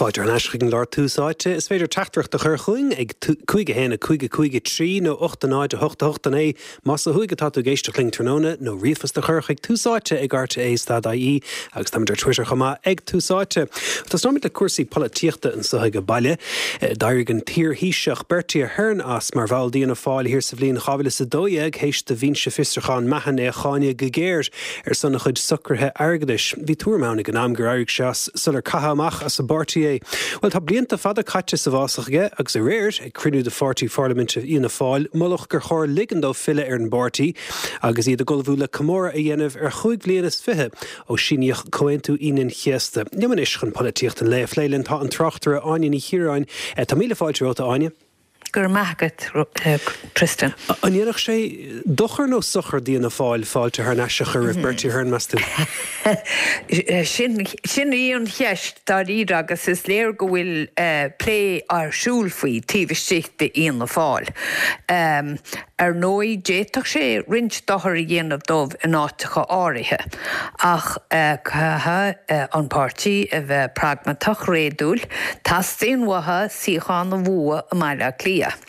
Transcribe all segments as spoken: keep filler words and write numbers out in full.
Fáilte ar ais chuig an gclár Tús Áite is féidir teachtaireacht a chur chugainn ag cúig a haon a cúig a cúig a trí nó ocht a náid a hocht a hocht a naoi más ó thuaidh atá tú ag éisteacht linn tráthnóna nó ríomhphost a chur chuig Tús Áite ag RTÉ stad IE agus táimid ar Twitter chomh maith ag Tús Áite. Tosnóimid le cúrsaí polaitíochta anseo ag baile. D'éirigh an t-iar-Thaoiseach Bertie Ahern as mar bhall d'Fhianna Fáil thiar sa bhliain dhá mhíle is a dó dhéag théis do bhinse fiosrúcháin Mahon é a cháineadh go géar ar son a chuid socruithe airgeadais. Bhí tuairim ann ag an am gur éirigh sé as sular caitheadh amach as an bpáirtí é. Well tá blianta fada caite sa bhfásach aige agus aréir ag cruinniú de pháirtí pharlaiminte Fhianna Fáil moladh gur chóir ligean dó filleadh ar an bpáirtí agus iad ag ullmhú le comóradh a dhéanamh ar chúig bhliain is fiche ó síníodh Comhaontú Aoine an Chéasta. Liom anois chun polaitíocht an lae a phlé linn tá an tráchtaire Áine Ní Chiaráin Tá míle fáilte romhat Áine. Gur magat Tristan. An ndéanfadh sé dochar nó sochar d'Fhianna Fáil fáilte thar n-ais a chur roimh Bertie Ahern meas tú? Sin sin í an cheist dáiríre agus is léir go bhfuil plé ar siúl faoi taobh istigh d'Fhianna Fáil. Um, ar ndóigh d'fhéadfadh sé roinnt dochar a dhéanamh dóibh in áiteacha áirithe, ach caithfidh an páirtí a bheith pragmatach réadúil, teastaíonn uathu suíochán a bhua i mBaile Átha Cliath.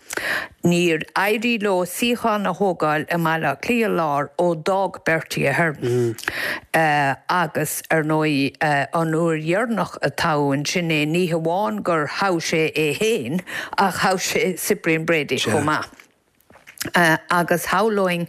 Níor éirigh leo suíochán a thógáil i mBaile Átha Cliath Lár ó d'fhág Bertie Ahern. Uh, agus ar ndóigh uh, an uair dheireanach a toghadh ansin é ní hamháin gur thogh sé é féin ach thogh sé Cyprian Brady chomh maith. Uh, agus shamhlóinn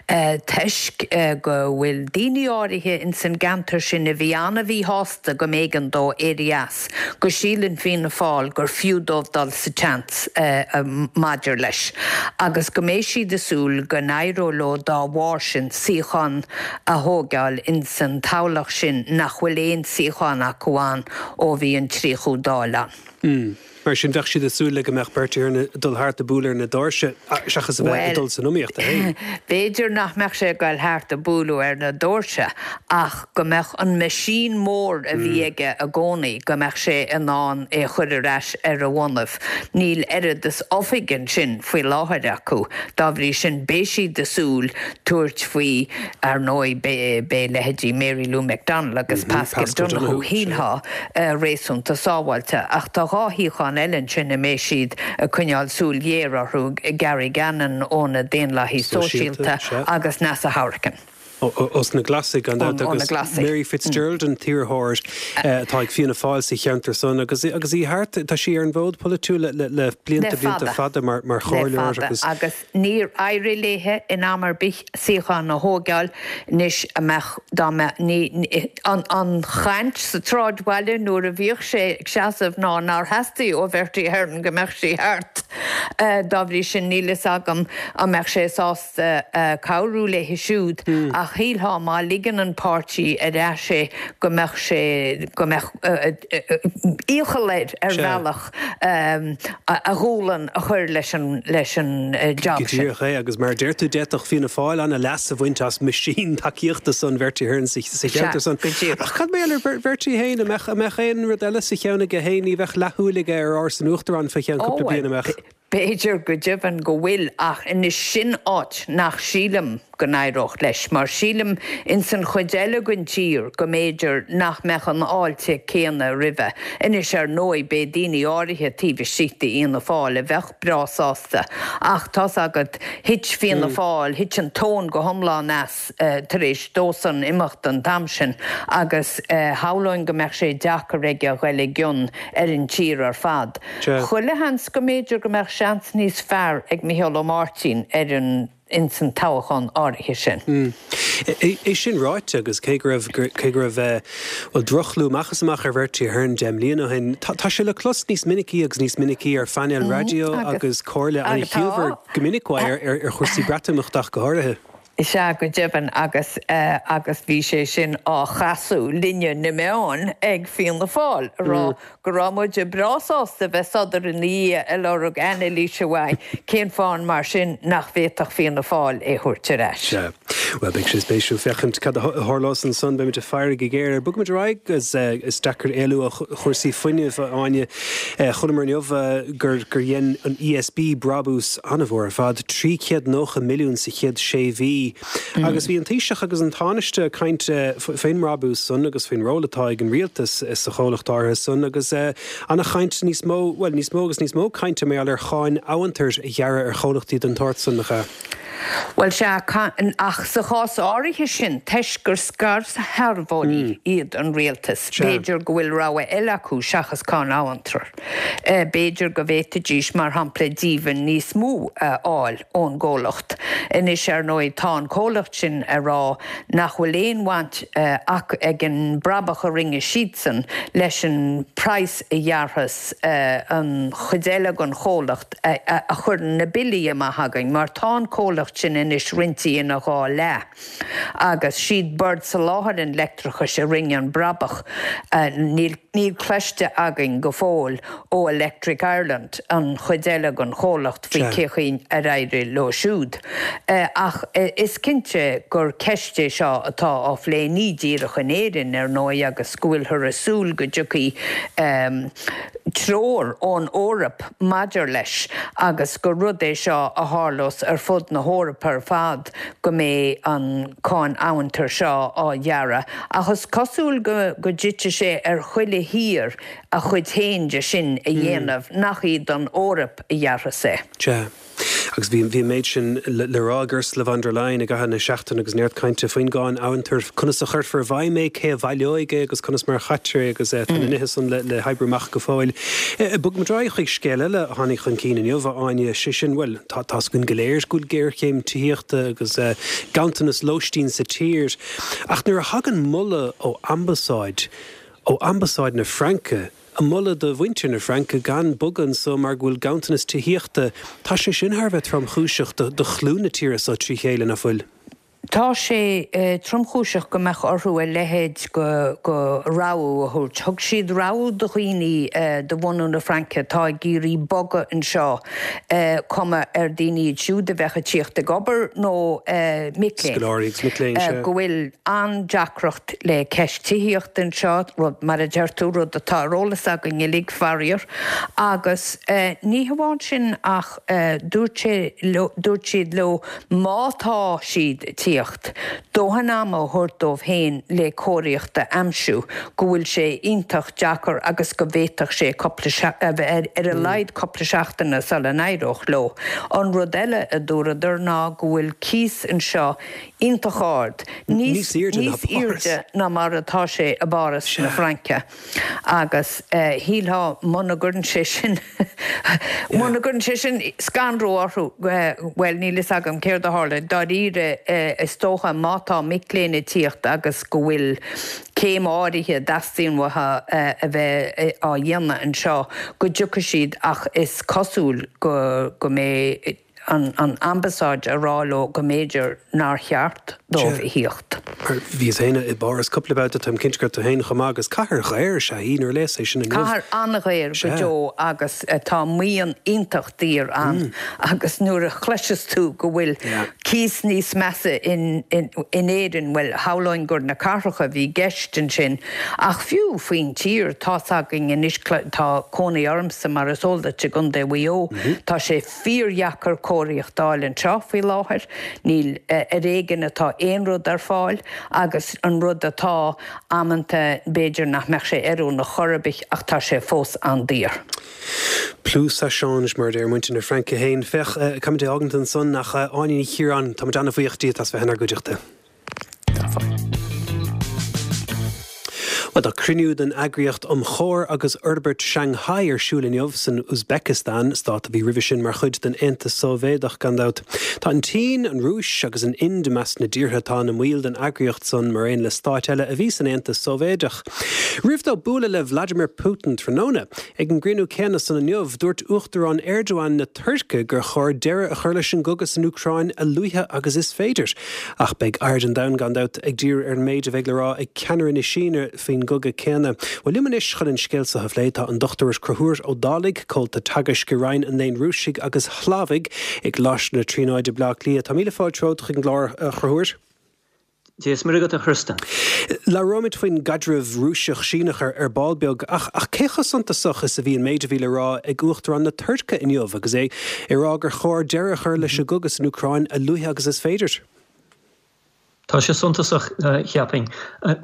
uh, toisc uh, go bhfuil daoine áirithe in san gceantar sin a bhí an-mhíshásta go mb'éigean dó éirí as, go síleann Fianna Fáil gur fiú dóibh dul sa tseans uh, uh, maidir leis. Agus go mbeidh siad ag súil go n-éireoidh leo dá bharr sin suíochán a thógáil in san toghlach sin nach bhfuil aon suíochán acu ann ó bhí an tríochadú Dáil ann. Mm. Mar sin bheadh siad ag súil le go mbeadh Bertie Ahern ag dul thart ag bualadh ar na doirse seachas a bheith ag dul san iomaíocht é. B'fhéidir nach mbeadh sé ag dul thart ag bualadh ar na doirse ach go mbeadh an meaisín mór a bhí mm. aige i gcónaí go mbeadh sé in ann é chur ar ais ar a bhonnaibh. Níl oiread is oifig ansin faoi láthair acu, dá bhrí sin beidh siad ag súil tabhairt faoi ar ndóigh beidh leithéidí Mary Lou McDonald agus mm -hmm. Pascal, Pascal Donoghue shílfeá uh, réasúnta sábháilte ach tá dhá shuíochán eile ansin a mbeidh siad ag coinneáil súil ghéar orthu Gary Gannon ó na Daonlathaithe Sóisialta agus Neasa Hourigan. Ó na Glasaigh an agus Mary Fitzgerald an t-iarrthóir atá ag Fianna Fáil sa cheantar san agus agus í thart tá sí ar an bhfód polaitiúil le le blianta blianta fada mar mar chomhairleoir agus agus níor éirigh léi in am ar bith suíochán a thógáil anois amach dá ní an an chaint sa tsráidbhaile nuair a bhíodh sé ag seasamh ná nár theastaigh ó Bhertie Ahern go mbeadh sí thart. Dá bhrí sin níl fhios agam an mbeadh sé sásta cabhrú léi siúd ach shílfeá má ligeann an páirtí ar ais é go mbeadh sé go mbeadh iachall air ar bhealach a ghualainn a chur leis an leis an job sin. Go díreach é agus mar a deir tú d'fhéadfadh Fianna Fáil an-leas a bhaint as meaisín tacaíochta san Bertie Ahern sa cheantar san. Ach cad mar gheall ar Bertie féin a mbeadh a mbeadh aon rud eile sa cheann aige féin ní bheadh leathshúil aige ar áras an Uachtaráin fá cheann cúpla bliain amach. B'fhéidir go deimhin go bhfuil ach anois sin áit nach sílim go n-éireodh leis, mar sílim in san chuid eile den tír go mb'fhéidir nach mbeadh an fháilte céanna roimhe. Anois ar ndóigh beidh daoine áirithe taobh istigh d'Fhianna Fáil a bheadh breá sásta ach tá's agat thit Fianna Fáil, thit an tóin go hiomlán as tar éis dósan imeacht an t-am sin agus shamhlóinn go mbeadh sé deacair aige a ghoil i gcion ar an tír ar fad. Chuile sheans go mb'fhéidir go mbeadh seans níos fearr ag Micheál Ó Máirtín ar an ins an toghchán áirithe sin. É sin ráite agus cé go raibh cé go raibh bhuel droch-chlú amach is amach ar Bertie Ahern deich mbliana ó shin, tá sé le clos níos minicí agus níos minicí ar phainéil raidió agus comhairle an-chiallmhar go minic uaidh ar ar chúrsaí Breatimeachta ach go háirithe. Is ea go deimhin agus agus bhí sé sin á chasadh linne na meáin ag Fianna Fáil a rá go raibh muid breá sásta bheith sodar ina dhiaidh ag lorg anailíse uaidh cén fáth mar sin nach bhféadfadh Fianna Fáil é thabhairt ar ais. Sea. Well beidh sé spéisiúil féachaint cad a tharlós ansan beimid ag faire go géar. Bogfaimid ar aghaidh agus is deacair éalú ó chúrsaí fuinnimh a Áine chonaiceamar inniu gur gur dhein an ESB brabús an-mhór ar fad trí chéad nócha milliún sa chéad sé mhí. Agus bhí an Taoiseach agus an Tánaiste ag caint faoin mbrabús san agus faoin ról atá ag an rialtas sa chomhlacht áirithe san agus an-chaint níos mó, well níos mó agus níos mó cainte mar gheall ar cháin amhantair a ghearradh ar chomhlachtaí den tsórt san nach ea? Bhuel sea, ach sa chás áirithe sin, toisc gur scairshealbhóirí iad an rialtas, b'fhéidir go bhfuil rogha eile acu seachas cáin amhantair. B'fhéidir go bhféadfaidís, mar shampla, díbhinn níos mó a fháil ón gcomhlacht. Anois, ar ndóigh, tá an comhlacht sin ag rá nach bhfuil aon bhaint ach ag an mbrabach a rinne siadsan leis an praghas a ghearrfas an chuid eile den chomhlacht a chuireann na billí amach againn, mar tá an comhlacht sin anois roinnte ina dhá leath agus siad Bord Soláthair an Leictreachais a rinne an brabach. Níl níl cloiste againn go fóill ó Electric Ireland, an chuid eile den chomhlacht, faoi cé chaoi ar éirigh leo siúd. Ach is cinnte gur ceist é seo atá á phlé ní díreach in Éirinn, ar ndóigh, agus go bhfuilthear ag súil go dtiocfaidh treoir ón Eoraip maidir leis agus gur rud é seo a tharlós ar fud na hEorpa ar fad go mbeidh an cáin amhantair seo á ghearradh. Ach is cosúil go go dtitfidh sé ar chuile thír a chuid féin de sin a dhéanamh, nach iad an Eoraip a ghearrfas é. Sea. Agus bhí bhí an méid sin le le rá ag Ursula von der Leyen i gcaitheamh na seachtaine agus neart cainte faoin gcáin amhantair, conas a chuirfear i bhfeidhm é, cé a bhaileoidh é agus conas mar a chaitear é agus tá na nithe san le le hoibriú amach go fóill. Bogfaimid ar aghaidh chuig scéal eile a tháinig chun cinn inniu, a Áine, sé sin, bhuel, tá tá's againn go léir go bhfuil géarchéim tithíochta agus ganntanas lóistín sa tír ach nuair a thagann moladh ó ambasáid, ó ambasáid na Fraince, ag moladh do mhuintir na Fraince gan bogadh anso mar go bhfuil ganntanas tithíochta, tá sé sin thar a bheith tromchúiseach do do chlú na tíre so trí chéile, nach bhfuil? Tá sé tromchúiseach go mbeadh orthu a leithéid de rabhadh a thabhairt. Thug siad rabhadh do dhaoine de bhunadh na Fraince atá ag iarraidh bogadh anseo, cuma ar daoine iad siúd a bheadh ag tíocht ag obair nó mic léinn, Scoláirí agus mic léinn, sea. go bhfuil an-deacracht le ceist tithíochta anseo, rud, mar a deir tú, rud atá ar eolas againn uilig, faraor. Agus ní hamháin sin ach dúirt sé leo, dúirt siad leo má tá siad ag tíocht, dóthain ama a thabhairt dóibh féin le cóiríocht a aimsiú, go bhfuil sé iontach deacair agus go bhféadfadh sé cúpla, a bheith ar a laghad cúpla seachtaine sula n-éireodh leo. An rud eile a dúradar ná go bhfuil cíos anseo iontach ard, níos airde ná mar atá sé i bPáras na Fraince agus shílfeá muna gcuireann sé sin muna gcuireann sé sin scanrú orthu, bhuel níl fhios agam céard a tharla dáiríre is dócha má tá mic léinn ag tíocht agus go bhfuil céim áirithe a dteastaíonn uathu a bheith á dhéanamh anseo go dtiocfaidh siad ach is cosúil go go mbeidh an an ambasáid a rá leo go mb'fhéidir nár cheart dóibh a thíocht. Bhíos féin i bPáras cúpla babhta, táim cinnte go raibh tú féin chomh maith agus cathair dhaor is ea í nuair a léas é sin inniu. Cathair an-dhaor go deo agus tá maoin iontach daor ann agus nuair a chloiseas tú go bhfuil cíos níos measa in in Éirinn, bhuel, shamhlóinn gur na cathracha a bhí i gceist ansin ach fiú faoin tír, tá's againn anois, tá cónaí ormsa mar is eol duit i gContae Mhaigh Eo, tá sé fíordheacair cóiríocht a fháil anseo faoi láthair. Níl, ar éigean atá aon rud ar fáil agus an rud atá, amanta b'fhéidir nach mbeadh sé oiriúnach chor ar bith ach tá sé fós an-daor. Plus ça change, mar a deir muintir na Fraince féin. Féach, caithfimid é a fhágaint ansan ach Áine Ní Chiaráin, táimid an-bhuíoch díot as bheith inár gcuideachta. Bhuel, tá cruinniú den Eagraíocht um Chomhar agus Fhorbairt Shanghai ar siúl inniu san Uzbekistan, stát a bhí roimhe sin mar chuid den Aontas Sóivéadach, gan dabht. Tá an tSín, an Rúis agus an Ind i measc na dtíortha atá ina mbaill den eagraíocht san, mar aon le stáit eile a bhí san Aontas Sóivéadach. Roimh dó bualadh le Vladimir Putin tráthnóna, ag an gcruinniú céanna san inniu, dúirt Uachtarán Erdogan na Tuirce gur chóir deireadh a chur leis an gcogadh san Úcráin a luaithe agus is féidir. Ach beidh aird an domhain gan dabht ag díriú ar an méid a bheidh le rá ag ceannaire na Síne faoin gcogadh céanna. Bhuel, liom anois chun an scéal seo a phlé tá an Dochtúir Conchúr Ó Dálaigh, Comhalta Teagaisc i Roinn an Léinn Rúisigh agus Shlavaigh i gColáiste na Tríonóide, Baile Átha Cliath. Tá míle fáilte romhat chuig an gclár, a Chonchúir. Dia is Muire agat, a Chriostain. Labhróimid faoin gcaidreamh Rúiseach-Síneach ar ar ball beag, ach ach cé chomh suntasach is a bhí an méid a bhí le rá ag Uachtarán na Tuirce inniu agus é ag rá gur chóir deireadh a chur leis an gcogadh san Úcráin a luaithe agus is féidir? Tá sé suntasach, cheapfainn.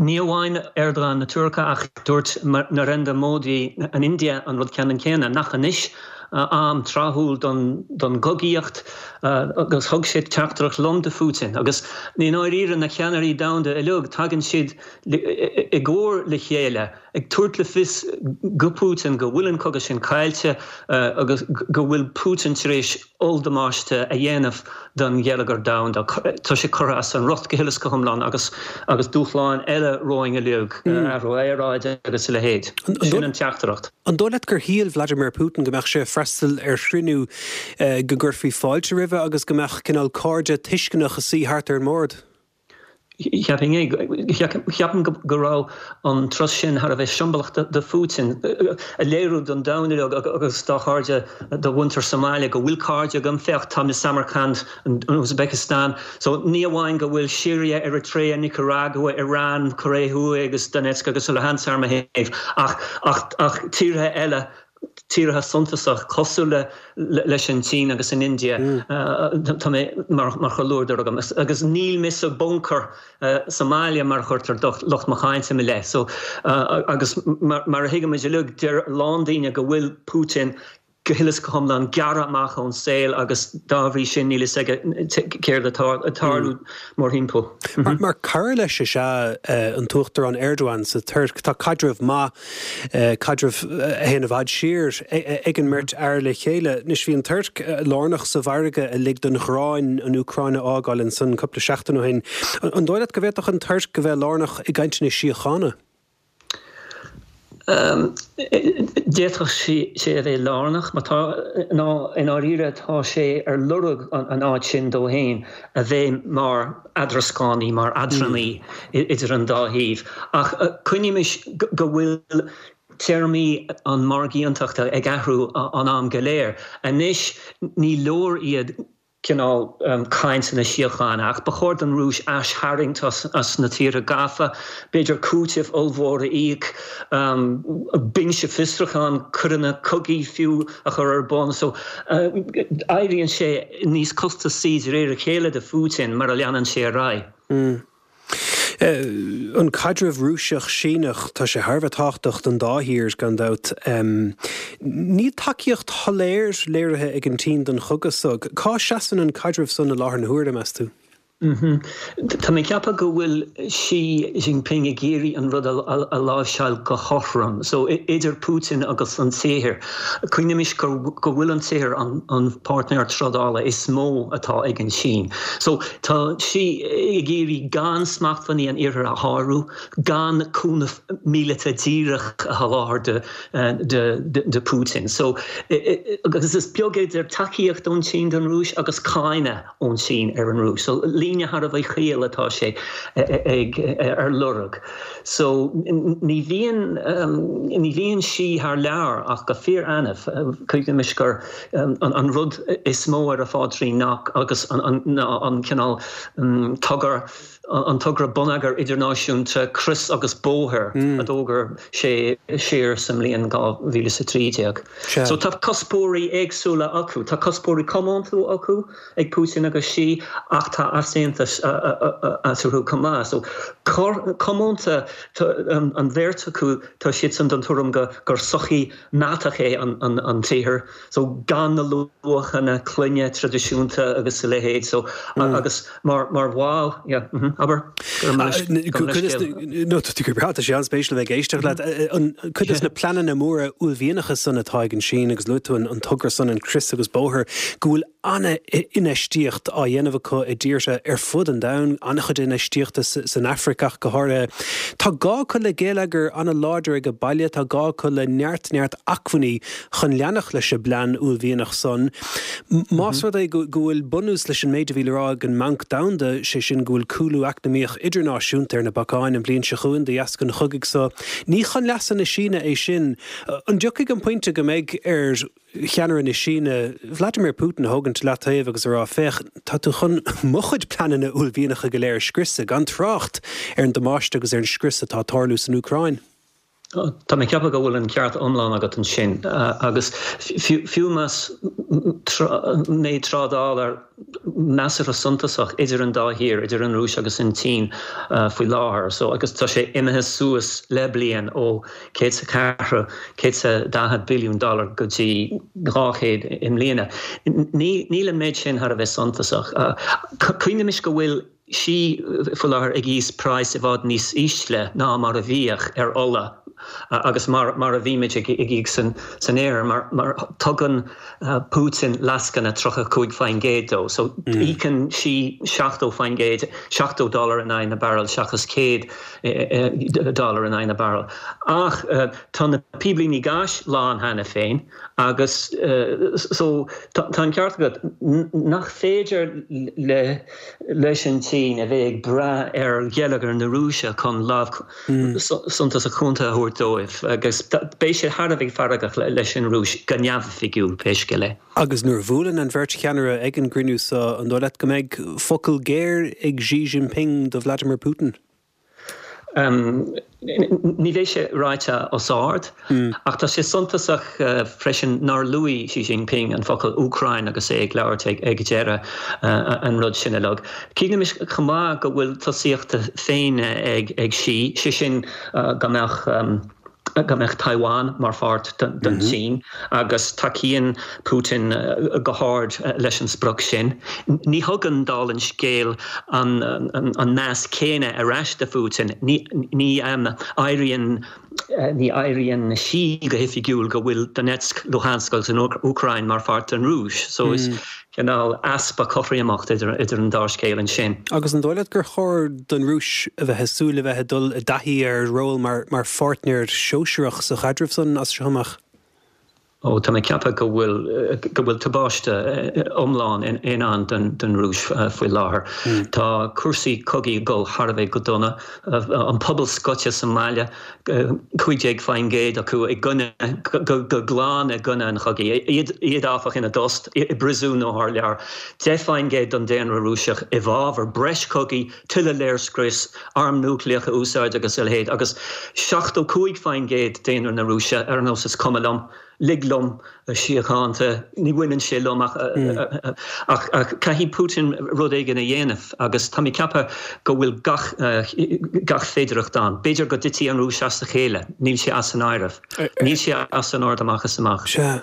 Ní amháin Erdogan na Tuirce ach dúirt Narendra Modi an India an rud ceannann céanna, nach anois am tráthúil don don gcogaíocht agus thug sé teachtaireacht lom do Phutin agus i ndáiríre na ceannairí domhanda uilig tagann siad i gcomhar le chéile ag tabhairt le fios go Putin go bhfuil an cogadh sin caillte agus go bhfuil Putin tar éis olldamáiste a dhéanamh don gheilleagar domhanda. Tá sé curtha as an riocht go huile is go hiomlán agus agus dúshláin eile romhainn uilig, athrú aeráide agus a leithéid. Sin an teachtaireacht. An dóigh leat gur shíl Vladimir Putin go mbeadh sé ag freastal ar chruinniú go gcuirfí fáilte roimhe agus go mbeadh cineál cairde tuisceanach ag suí thart ar an mbord? Cheapfainn é. Ceapaim go raibh an turas sin thar a bheith siombalach do Phutin, a léiriú don domhan uilig agus dá chairde, do mhuintir sa mbaile, go bhfuil cairde agam, féach, tá mé i Samarkand, an Uzbekistan. So ní amháin go bhfuil Siria, Eritrea, Nicaragua, Iran, Cóiré Thuaidh agus Donetsk agus Luhansk ar mo thaobh, ach ach ach tíortha eile tíortha suntasach cosúil le leis an tSín agus an India, tá mé mar chomhluadar agam agus níl mé sa bunker sa mbaile mar a chuirtear lucht mo cháinte i mo leith. So agus mar a thuigimid uilig, deir a lán daoine go bhfuil Putin go huile is go hiomlán gearrtha amach ón saol agus dá bhrí sin níl fhios aige céard atá ag tarlú mórthimpeall. Mar cara leis is ea an tUachtarán Erdogan sa Tuirc. Tá caidreamh maith, caidreamh a théann i bhfad siar ag an mbeirt fhear le chéile. Anois bhí an Tuirc lárnach sa mhargadh a lig don ghráin an Úcráin a fhágáil ansan cúpla seachtain ó shin. An dóigh leat go bhféadfadh an Tuirc a bheith lárnach i gcainteanna síochána? D'fhéadfadh sé a bheith lárnach, má tá, ná i ndáiríre tá sé ar lorg an áit sin dó féin a bheith mar eadrascánaí, mar eadránaí idir an dá thaobh. Ach cuimhnímis go bhfuil téarmaí an mhargaíochtachta ag athrú an am go léir. Anois ní leor iad cineál cainteanna síochána, ach ba chóir don Rúis aistharraingt as na tíortha gafa, b'fhéidir cúiteamh ollmhór a íoc, binse fiosrúcháin, coireanna cogaidh fiú a chur ar bun. So éiríonn sé níos costasaí de réir a chéile do Phutin mar a leanann sé ar aghaidh. An caidreamh Rúiseach-Síneach, tá sé thar a bheith tábhachtach don dá thír, gan dabht. Níl tacaíocht shoiléir léirithe ag an tSín don chogadh so. Cá seasann an caidreamh san i láthair na huaire, meas tú? Tá mé ag ceapadh go bhfuil Xi Jinping ag iarraidh an rud a láimhseáil go cothrom, so idir Putin agus an tSaothair. Cuimhnímis go bhfuil an tSaothair an páirtnéir trádála is mó atá ag an tSín. So tá Xi ag iarraidh gan smachtbhannaí an Iarthair a shárú, gan cúnamh míleata díreach a sholáthar do Putin. So agus is beag idir tacaíocht ón tSín don Rúis agus cáineadh ón tSín ar an Rúis. So líne thar a bheith caol atá sé ag ar lorg. So ní bhíonn ní bhíonn Xi thar lear ach go fíor-annamh. Cuimhnímis gur an rud is mó ar a phaidrín ná agus an an cineál togra an togra bonneagair idirnáisiúnta Crios agus Bóthar a d'fhógair sé siar sa mbliain dhá mhíle is a trí déag. So tá cuspóirí éagsúla acu. Tá cuspóirí comónta acu ag Putin agus Xi ach tá easaontas eatarthu chomh maith. So comónta an bheirt acu tá siadsan den tuairim go gur sochaí meatach é an an tSaothair. So gan na luachanna clainne traidisiúnta agus a leithéid. So agus mar mar bhall yeah mm-hmm abair go raibh mé leis No tá tú go breá tá sé an-spéisiúil a bheith ag éisteacht leat. An cuid de na pleananna móra uaillmhianacha san atá ag an Sín agus luaigh tú an togra san an Crios agus Bóthar go bhfuil an-infheistíocht á dhéanamh acu i dtíortha ar fud an domhain, an-chuid infheistíochta san Afraic ach go háirithe. Tá gá acu le geilleagar an-láidir ag baile, tá gá acu le neart neart acmhainní chun leanacht leis an bplean uaillmhianach san. Más rud é go bhfuil bunús leis an méid a bhí le rá ag an mBanc Domhanda, sé sin go bhfuil cúlú eacnamaíoch idirnáisiúnta ar na bacáin an bhliain seo chugainn de dheasca an chogaidh so, ní chun leasa na Síne é sin. An dtiocfaidh an pointe go mbeidh ar cheannaire na Síne, Vladimir Putin a thógaint leataobh agus a rá féach, tá tú chun mo chuid pleananna uaillmhianacha go léir a scriosadh gan trácht ar an damáiste agus ar an scrios atá ag tarlú san Úcráin. Tá mé ag ceapadh go bhfuil an ceart iomlán agat ansin agus fiú más méid trádála measartha suntasach idir an dá thír, idir an Rúis agus an tSín faoi láthair, so agus tá sé imithe suas le bliain ó céad is a ceathair, céad is a daichead billiún dollar go dtí dhá chéad i mbliana. Níl an méid sin thar a bheith suntasach. Cuimhnímis go bhfuil Xi faoi láthair ag íoc praghas i bhfad níos ísle ná mar a bhíodh ar ola agus mar mar a bhímid ag íoc san san Iarthar mar mar tugann Putin lascaine tríocha cúig faoin gcéad dó. So íocann Xi seachtó faoin gcéad, seachtó dollar in aghaidh na barrel seachas céad dollar in aghaidh na barrel. Ach tá na píblíní gáis lán cheana féin agus so tá an ceart agat nach féidir le leis an tSín a bheith ag brath ar gheilleagar na Rúise chun lámh suntasach cúnta a thabhairt dóibh agus beidh sé thar a bheith feargach leis an Rúis go neamhoifigiúil pé scéal é. Agus nuair a bhuaileann an bheirt cheannaire ag an gcruinniú seo, an dóigh leat go mbeidh focal géar ag Xi Jinping do Vladimir Putin? Ní bheidh sé ráite os ard, ach tá sé suntasach freisin nár luaigh Xi Jinping an focal Úcráin agus é ag labhairt ag deireadh an rud sin uilig. Cuimhnímis chomh maith go bhfuil tosaíocht féin ag Xi, sé sin go mbeadh go mbeadh Taiwan mar pháirt den tSín agus tacaíonn Putin go hard leis an sprioc sin. Ní thugann, dála an scéil, an meas céanna ar ais do Phutin. Ní áiríonn ní áiríonn Xi go hoifigiúil go bhfuil Donetsk, Luhansk agus an Úcráin mar pháirt den Rúis. So is cineál easpa cothromaíocht idir an dá scéal ansin. Agus an dóigh leat gur chóir don Rúis a bheith ag súil le bheith ag dul i dtaithí ar ról mar mar pháirtnéir sóisearach sa chaidreamh san as seo amach? Ó, tá mé ag ceapadh go bhfuil go bhfuil tubaiste iomlán i ndán don Rúis faoi láthair. Tá cúrsaí cogaidh ag dul thar a bheith go dona, an pobal scoite sa mbaile, cúig déag faoin gcéad acu i gcoinne, go glan i gcoinne an chogaidh. Iad, áfach, ina dtost, i bpríosún nó thar lear. Deich faoin gcéad den daonra Rúiseach i bhfabhar breis cogaidh, tuilleadh léirscrios, arm núicléach a úsáid agus a leithéid, agus seachtó cúig faoin gcéad daonra na Rúise ar nós is cuma liom. Lig liom síochánta, ní bhaineann sé liom ach ach caithfidh Putin rud éigin a dhéanamh agus tá mé ag ceapadh go bhfuil gach gach féidearthacht ann. B'fhéidir go dtitfidh an Rúis as a chéile, níl sé as an áireamh. Níl sé as an ord amach is amach. Sea.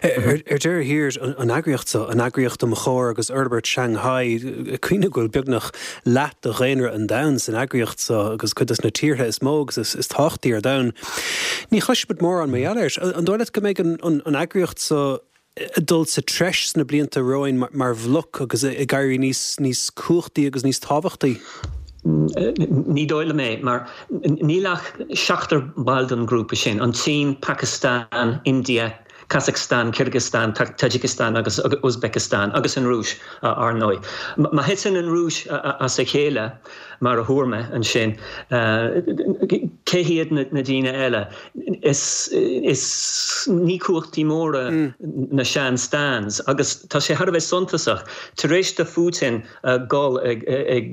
Ar deireadh thiar, an eagraíocht seo, an Eagraíocht um Chomhar agus Fhorbairt Shanghai, cuimhnigh go bhfuil beagnach leath de dhaonra an domhain san eagraíocht seo agus cuid de na tíortha is mó agus is tábhachtaí ar domhan. Ní chloisimid mórán mar gheall air. An dóigh leat go mbeidh an eagraíocht seo ag dul sa treis sna blianta romhainn mar bhloc agus ag éirí níos níos cumhachtaí agus níos tábhachtaí? Ní dóigh liom é, mar níl ach seachtar ball den ghrúpa sin, an tSín, Pakistan, India, Kazakhstan, Kyrgyzstan, Tajikistan agus Uzbekistan, agus an Rúis, ar ndóigh. Má thiteann an Rúis as a chéile, mar a thuar mé ansin, cé hiad na daoine eile? Is ní cumhachtaí móra na sean-stans, agus tá sé thar a bheith suntasach, tar éis do Phutin dul ag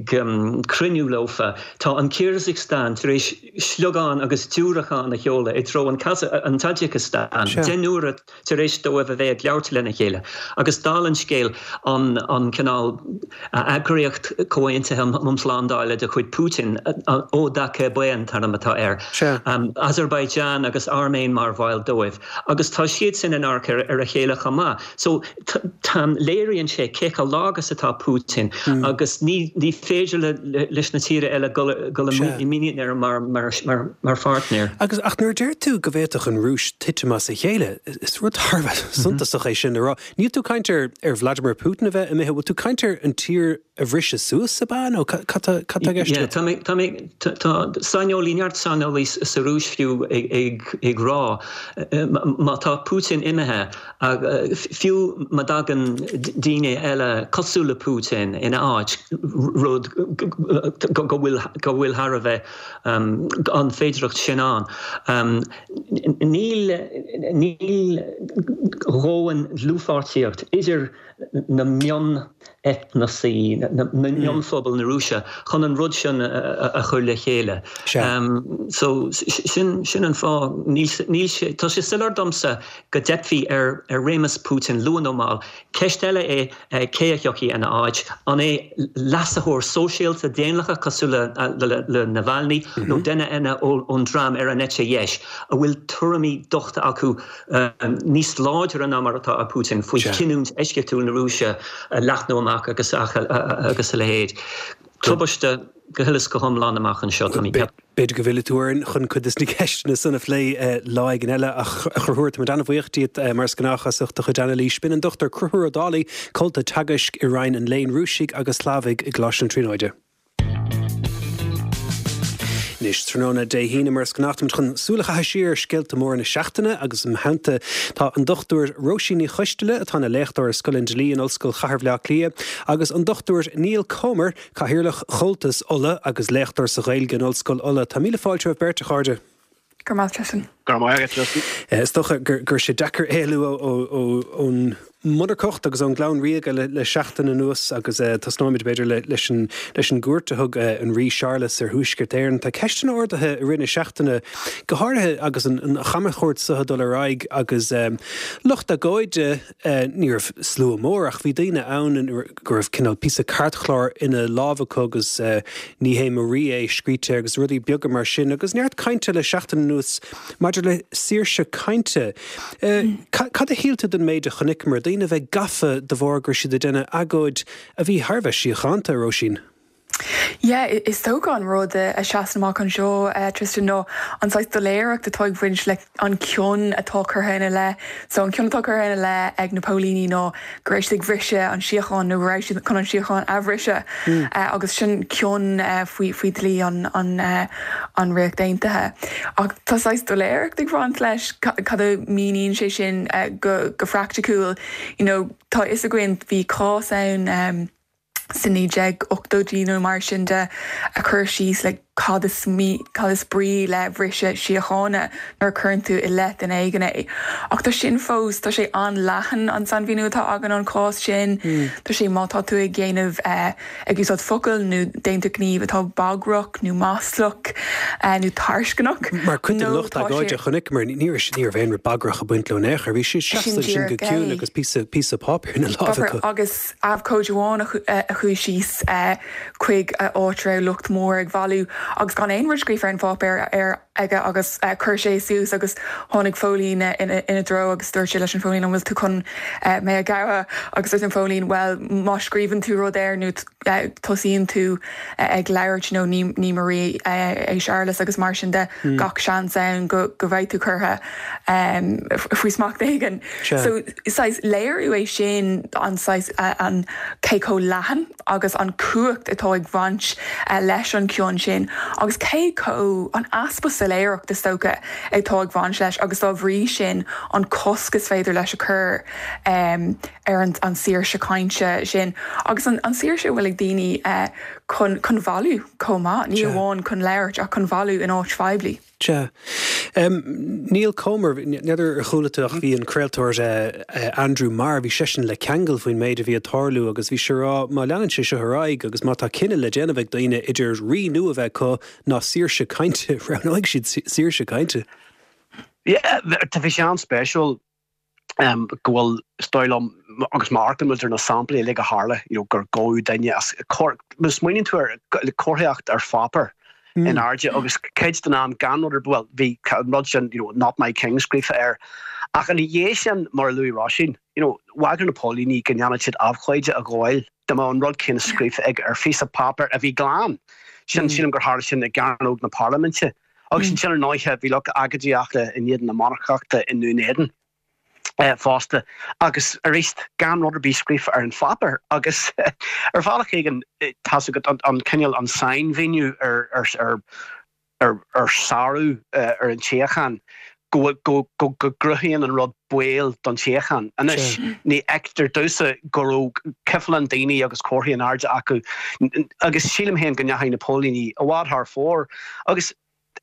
cruinniú leofa, tá an Kyrgyzstan tar éis sliogán agus diúracán a sheoladh i dtreo an Tajikistan, deich n-uaire tar éis dóibh a bheith ag labhairt lena chéile. Agus dála an scéil, an cineál eagraíocht comhaontaithe um shlándáil de chuid Putin, ODKB an t-ainm atá air, Azerbaijan agus Airméin mar bhaill dóibh, agus tá siad sin in adharca ar a chéile chomh maith. So léiríonn sé cé chomh lag is atá Putin agus ní féidir leis na tíortha eile dul i muinín air mar mar pháirtnéir. Agus ach nuair a deir tú go bhféadfadh an Rúis titim as a chéile, is rud thar a bheith suntasach é sin a rá. Níl tú ag caint ar ar Vladimir Putin a bheith imithe, bhfuil tú ag caint ar an tír a bhriseadh suas ab ea nó cad tá i gceist agat? Tá mé, tá mé, tá saineolaí, neart saineolaí sa Rúis fiú ag ag ag rá má tá Putin imithe, fiú má dtagann daoine eile cosúil le Putin ina áit, rud go bhfuil go bhfuil thar a bheith an féidearthacht sin ann, níl níl dhomhain-dlúthpháirtíocht idir na mion-eitneasaí, na mionphobail na Rúise chun an rud sin a chur le chéile. So sin sin an fáth níl sé tá sé soiléir domsa go dteipfidh ar ar réimeas Putin luath nó mall. Ceist eile é cé a thiocfaidh ina áit, an é leasaitheoir sóisialta daonlathach cosúil le le Navalny nó duine eile ón dream ar an eite dheis a bhfuil tuairimí dochta acu níos láidre ná mar atá Putin faoi chinniúint eisceachtúil na Rúise a leathnú amach agus agus a leithéid. Tubaiste go huile is go hiomlán amach anseo. B'fhéidir go bhfillfidh tú orainn chun cuid de na ceisteanna san a phlé lá éigin eile a Chonchúir tá muid an-bhuíoch díot mar is gnách as ucht do chuid anailís. B'in an Dochtúir Conchúr Ó Dálaigh, Comhalta Teagaisc i Roinn an Léinn Rúisigh agus Shlavaigh i gColáiste na Tríonóide. Anois tráthnóna Dé hAoine mar is gnách táimid chun súil a chaitheamh siar ar scéalta móra na seachtaine agus im theannta tá an Dochtúir Róisín Ní Choisteala atá ina léachtóir i Scoil an Dlí in Ollscoil Chathair Bhaile Átha Cliath agus an Dochtúir Niall Comer, Cathaoirleach Chomhaltas Uladh agus léachtóir sa Ghaeilge in Ollscoil Uladh. Tá míle fáilte romhaibh beirt a chairde. Go maith Tristan. Go maith Tristan. Is dócha gur gur sé deacair éalú ón monarcacht agus ón gclann ríoga le, le seachtain anuas agus uh, tosnóimid b'fhéidir le, leis an, leis an gcuairt a thug uh, an rí Séarlas ar Thuaisceart Éireann. Tá ceisteanna ardaithe i rith na seachtaine go háirithe agus an, an chamchuairt seo ag dul ar aghaidh agus um, lucht agóide uh, ní raibh slua mór ach bhí daoine ann go raibh cineál píosa cairtchláir ina lámha acu agus uh, ní hé mo rí é scríte agus rudaí beaga mar sin agus neart cainte le seachtain anuas maidir le saoirse cainte. Uh, cad a shíl tú den méid a chonaiceamar daoine bheith gafa de bharr gur siad ag déanamh agóid a bhí thar a bheith síochánta Róisín. Yeah, is dócha an rud a sheasann amach anseo uh, Tristan nó an saghas doiléireacht atá ag baint le an cion atá curtha ina leith, so an cion atá curtha ina leith ag na póilíní nó go raibh siad ag briseadh an síocháin nó raibh siad chun an síocháin a bhriseadh mm. uh, agus sin cion uh, faoi faoi dlí an an uh, an Ríocht Aontaithe. Ach tá saghas doiléireacht ag baint leis cad a mhíníonn sé sin uh, go, go praiticiúil you know, tá fhios againn bhí cás ann um, sa naoi déag ochtóidí nó mar sin de a chur síos le cad is cad is brí le briseadh síochána nuair a chuireann tú i leith duine éigin é. Ach tá sin fós tá sé an-leathan an sainmhíniú atá againn an cás sin mm. Tá sé má tá tú ag déanamh uh, ag úsáid focail nó déanamh gníomh atá bagrach nó maslach uh, nó tarcaisneach. Mar chuid den lucht agóide chonaiceamar ní ní raibh aon rud bagrach ag baint leo in aon chor bhí siad seasta sin go ciúin agus píosa píosa páipéir ina lámha. Agus abhcóide amháin a chuaigh síos chuig áit raibh lucht mór ag bailiú agus gan aon rud scríofa ar an pháipéar ar aige agus uh, chuir sé suas agus tháinig póilín ina ina dtreo agus dúirt sé leis an phóilín an bhfuil tú chun uh, mé a ghabháil agus dúirt an póilín well má scríobhann tú rud air nó uh, tosaíonn tú uh, ag labhairt nó ní ní mo rí uh, é Séarlas agus mar sin de mm. gach seans ann go go bhfuil tú curtha um, faoi smacht éigin. So saghas léiriú é sin an saghas uh, an cé chomh leathan agus an cumhacht atá ag baint uh, leis an cion sin agus cé chomh an easpa soiléireacht is dócha atá ag baint leis agus dá bhrí sin an cosc is féidir leis a chur um, ar an, an saoirse cainte sin agus an, an saoirse bhfuil ag daoine uh, chun chun bailiú chomh maith ní amháin chun labhairt ach chun bailiú in áit phoiblí. Sea. Um, Niall Comer n'fheadar ar chuala tú ach bhí an craoltóir uh, uh, Andrew Marr bhí seisean le ceangal faoin méid a bhí ag tarlú agus bhí sé ag rá má leanann sé seo ar aghaidh agus má tá cinneadh le déanamh ag daoine idir rí nua a bheith acu ná saoirse cainte roghnóidh siad saoirse cainte. Yeah, tá bhí sé an-spéisiúil um, go bhfuil is dóigh liom agus mar ar na samplaí le go tharla you know, gur gabhadh duine as smaoiníonn tú ar comharthaíocht ar pháipéar mm. in airde agus cuid den am gan rud well bhí rud sin you know, not my king scríofa air. Ach an dhé sin mar luaigh Róisín, you know, bhagair na póilíní go ndéanfadh siad abhcóide a ghabháil dá mbeadh an rud céanna scríofa ag ar phíosa páipéir a bhí glan. Sin mm. sílim gur tharla sin i gCearnóg na Parlaiminte. Agus mm. sin ar ndóigh bhí lucht agóidíochta in éadan na monarcachta i nDún Éideann. Uh, fosta agus arís gan rud ar bith scríofa ar an pháipéar agus ar bhealach éigin tá an, an cineál an sainmhíniú ar ar ar ar, ar sárú uh, ar an tsíocháin go go go go gcruthaíonn an rud baol don tsíocháin. Anois ní fheictear domhsa go raibh cifleán daoine agus comharthaí in airde acu agus sílim féin go ndeachaigh na póilíní i bhfad thar fóir agus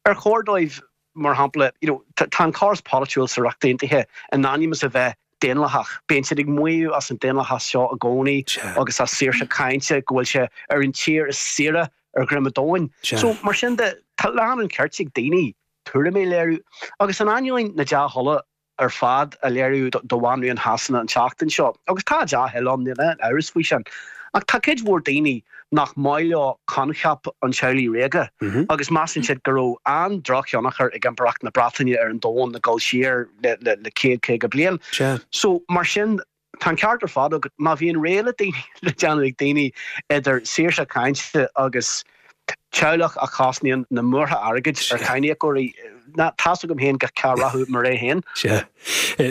ar chóir dóibh mar shampla, you know, tá an córas polaitiúil sa Ríocht Aontaithe in ainm is a bheith daonlathach. Bíonn siad ag maíomh as an daonlathas seo i gcónaí agus as saoirse cainte go bhfuil sé ar an tír is saoire ar dhroim an domhain. So mar sin de tá lán an chirt ag daoine tuairimí a léiriú agus in ainneoin na dea-thola ar fad a léiriú do Bhanríon Shasana an tseachtain seo, agus tá dea-thoil ann, níl aon amhras faoi sin, ach tá cuid mhór daoine nach maith leo coincheap an teaghlaigh ríoga agus measann siad go raibh an-drochthionchar ag Impireacht na Breataine ar an domhan ag dul siar le le céad caoga bliain. So mar sin tá an ceart ar fad agat, má bhíonn rogha le daoine le déanamh ag daoine idir saoirse cainte agus teaghlach a chosnaíonn na múrtha airgid ar cháiníocóirí, tá's agam féin cá rachadh mo rogha féin. Sea.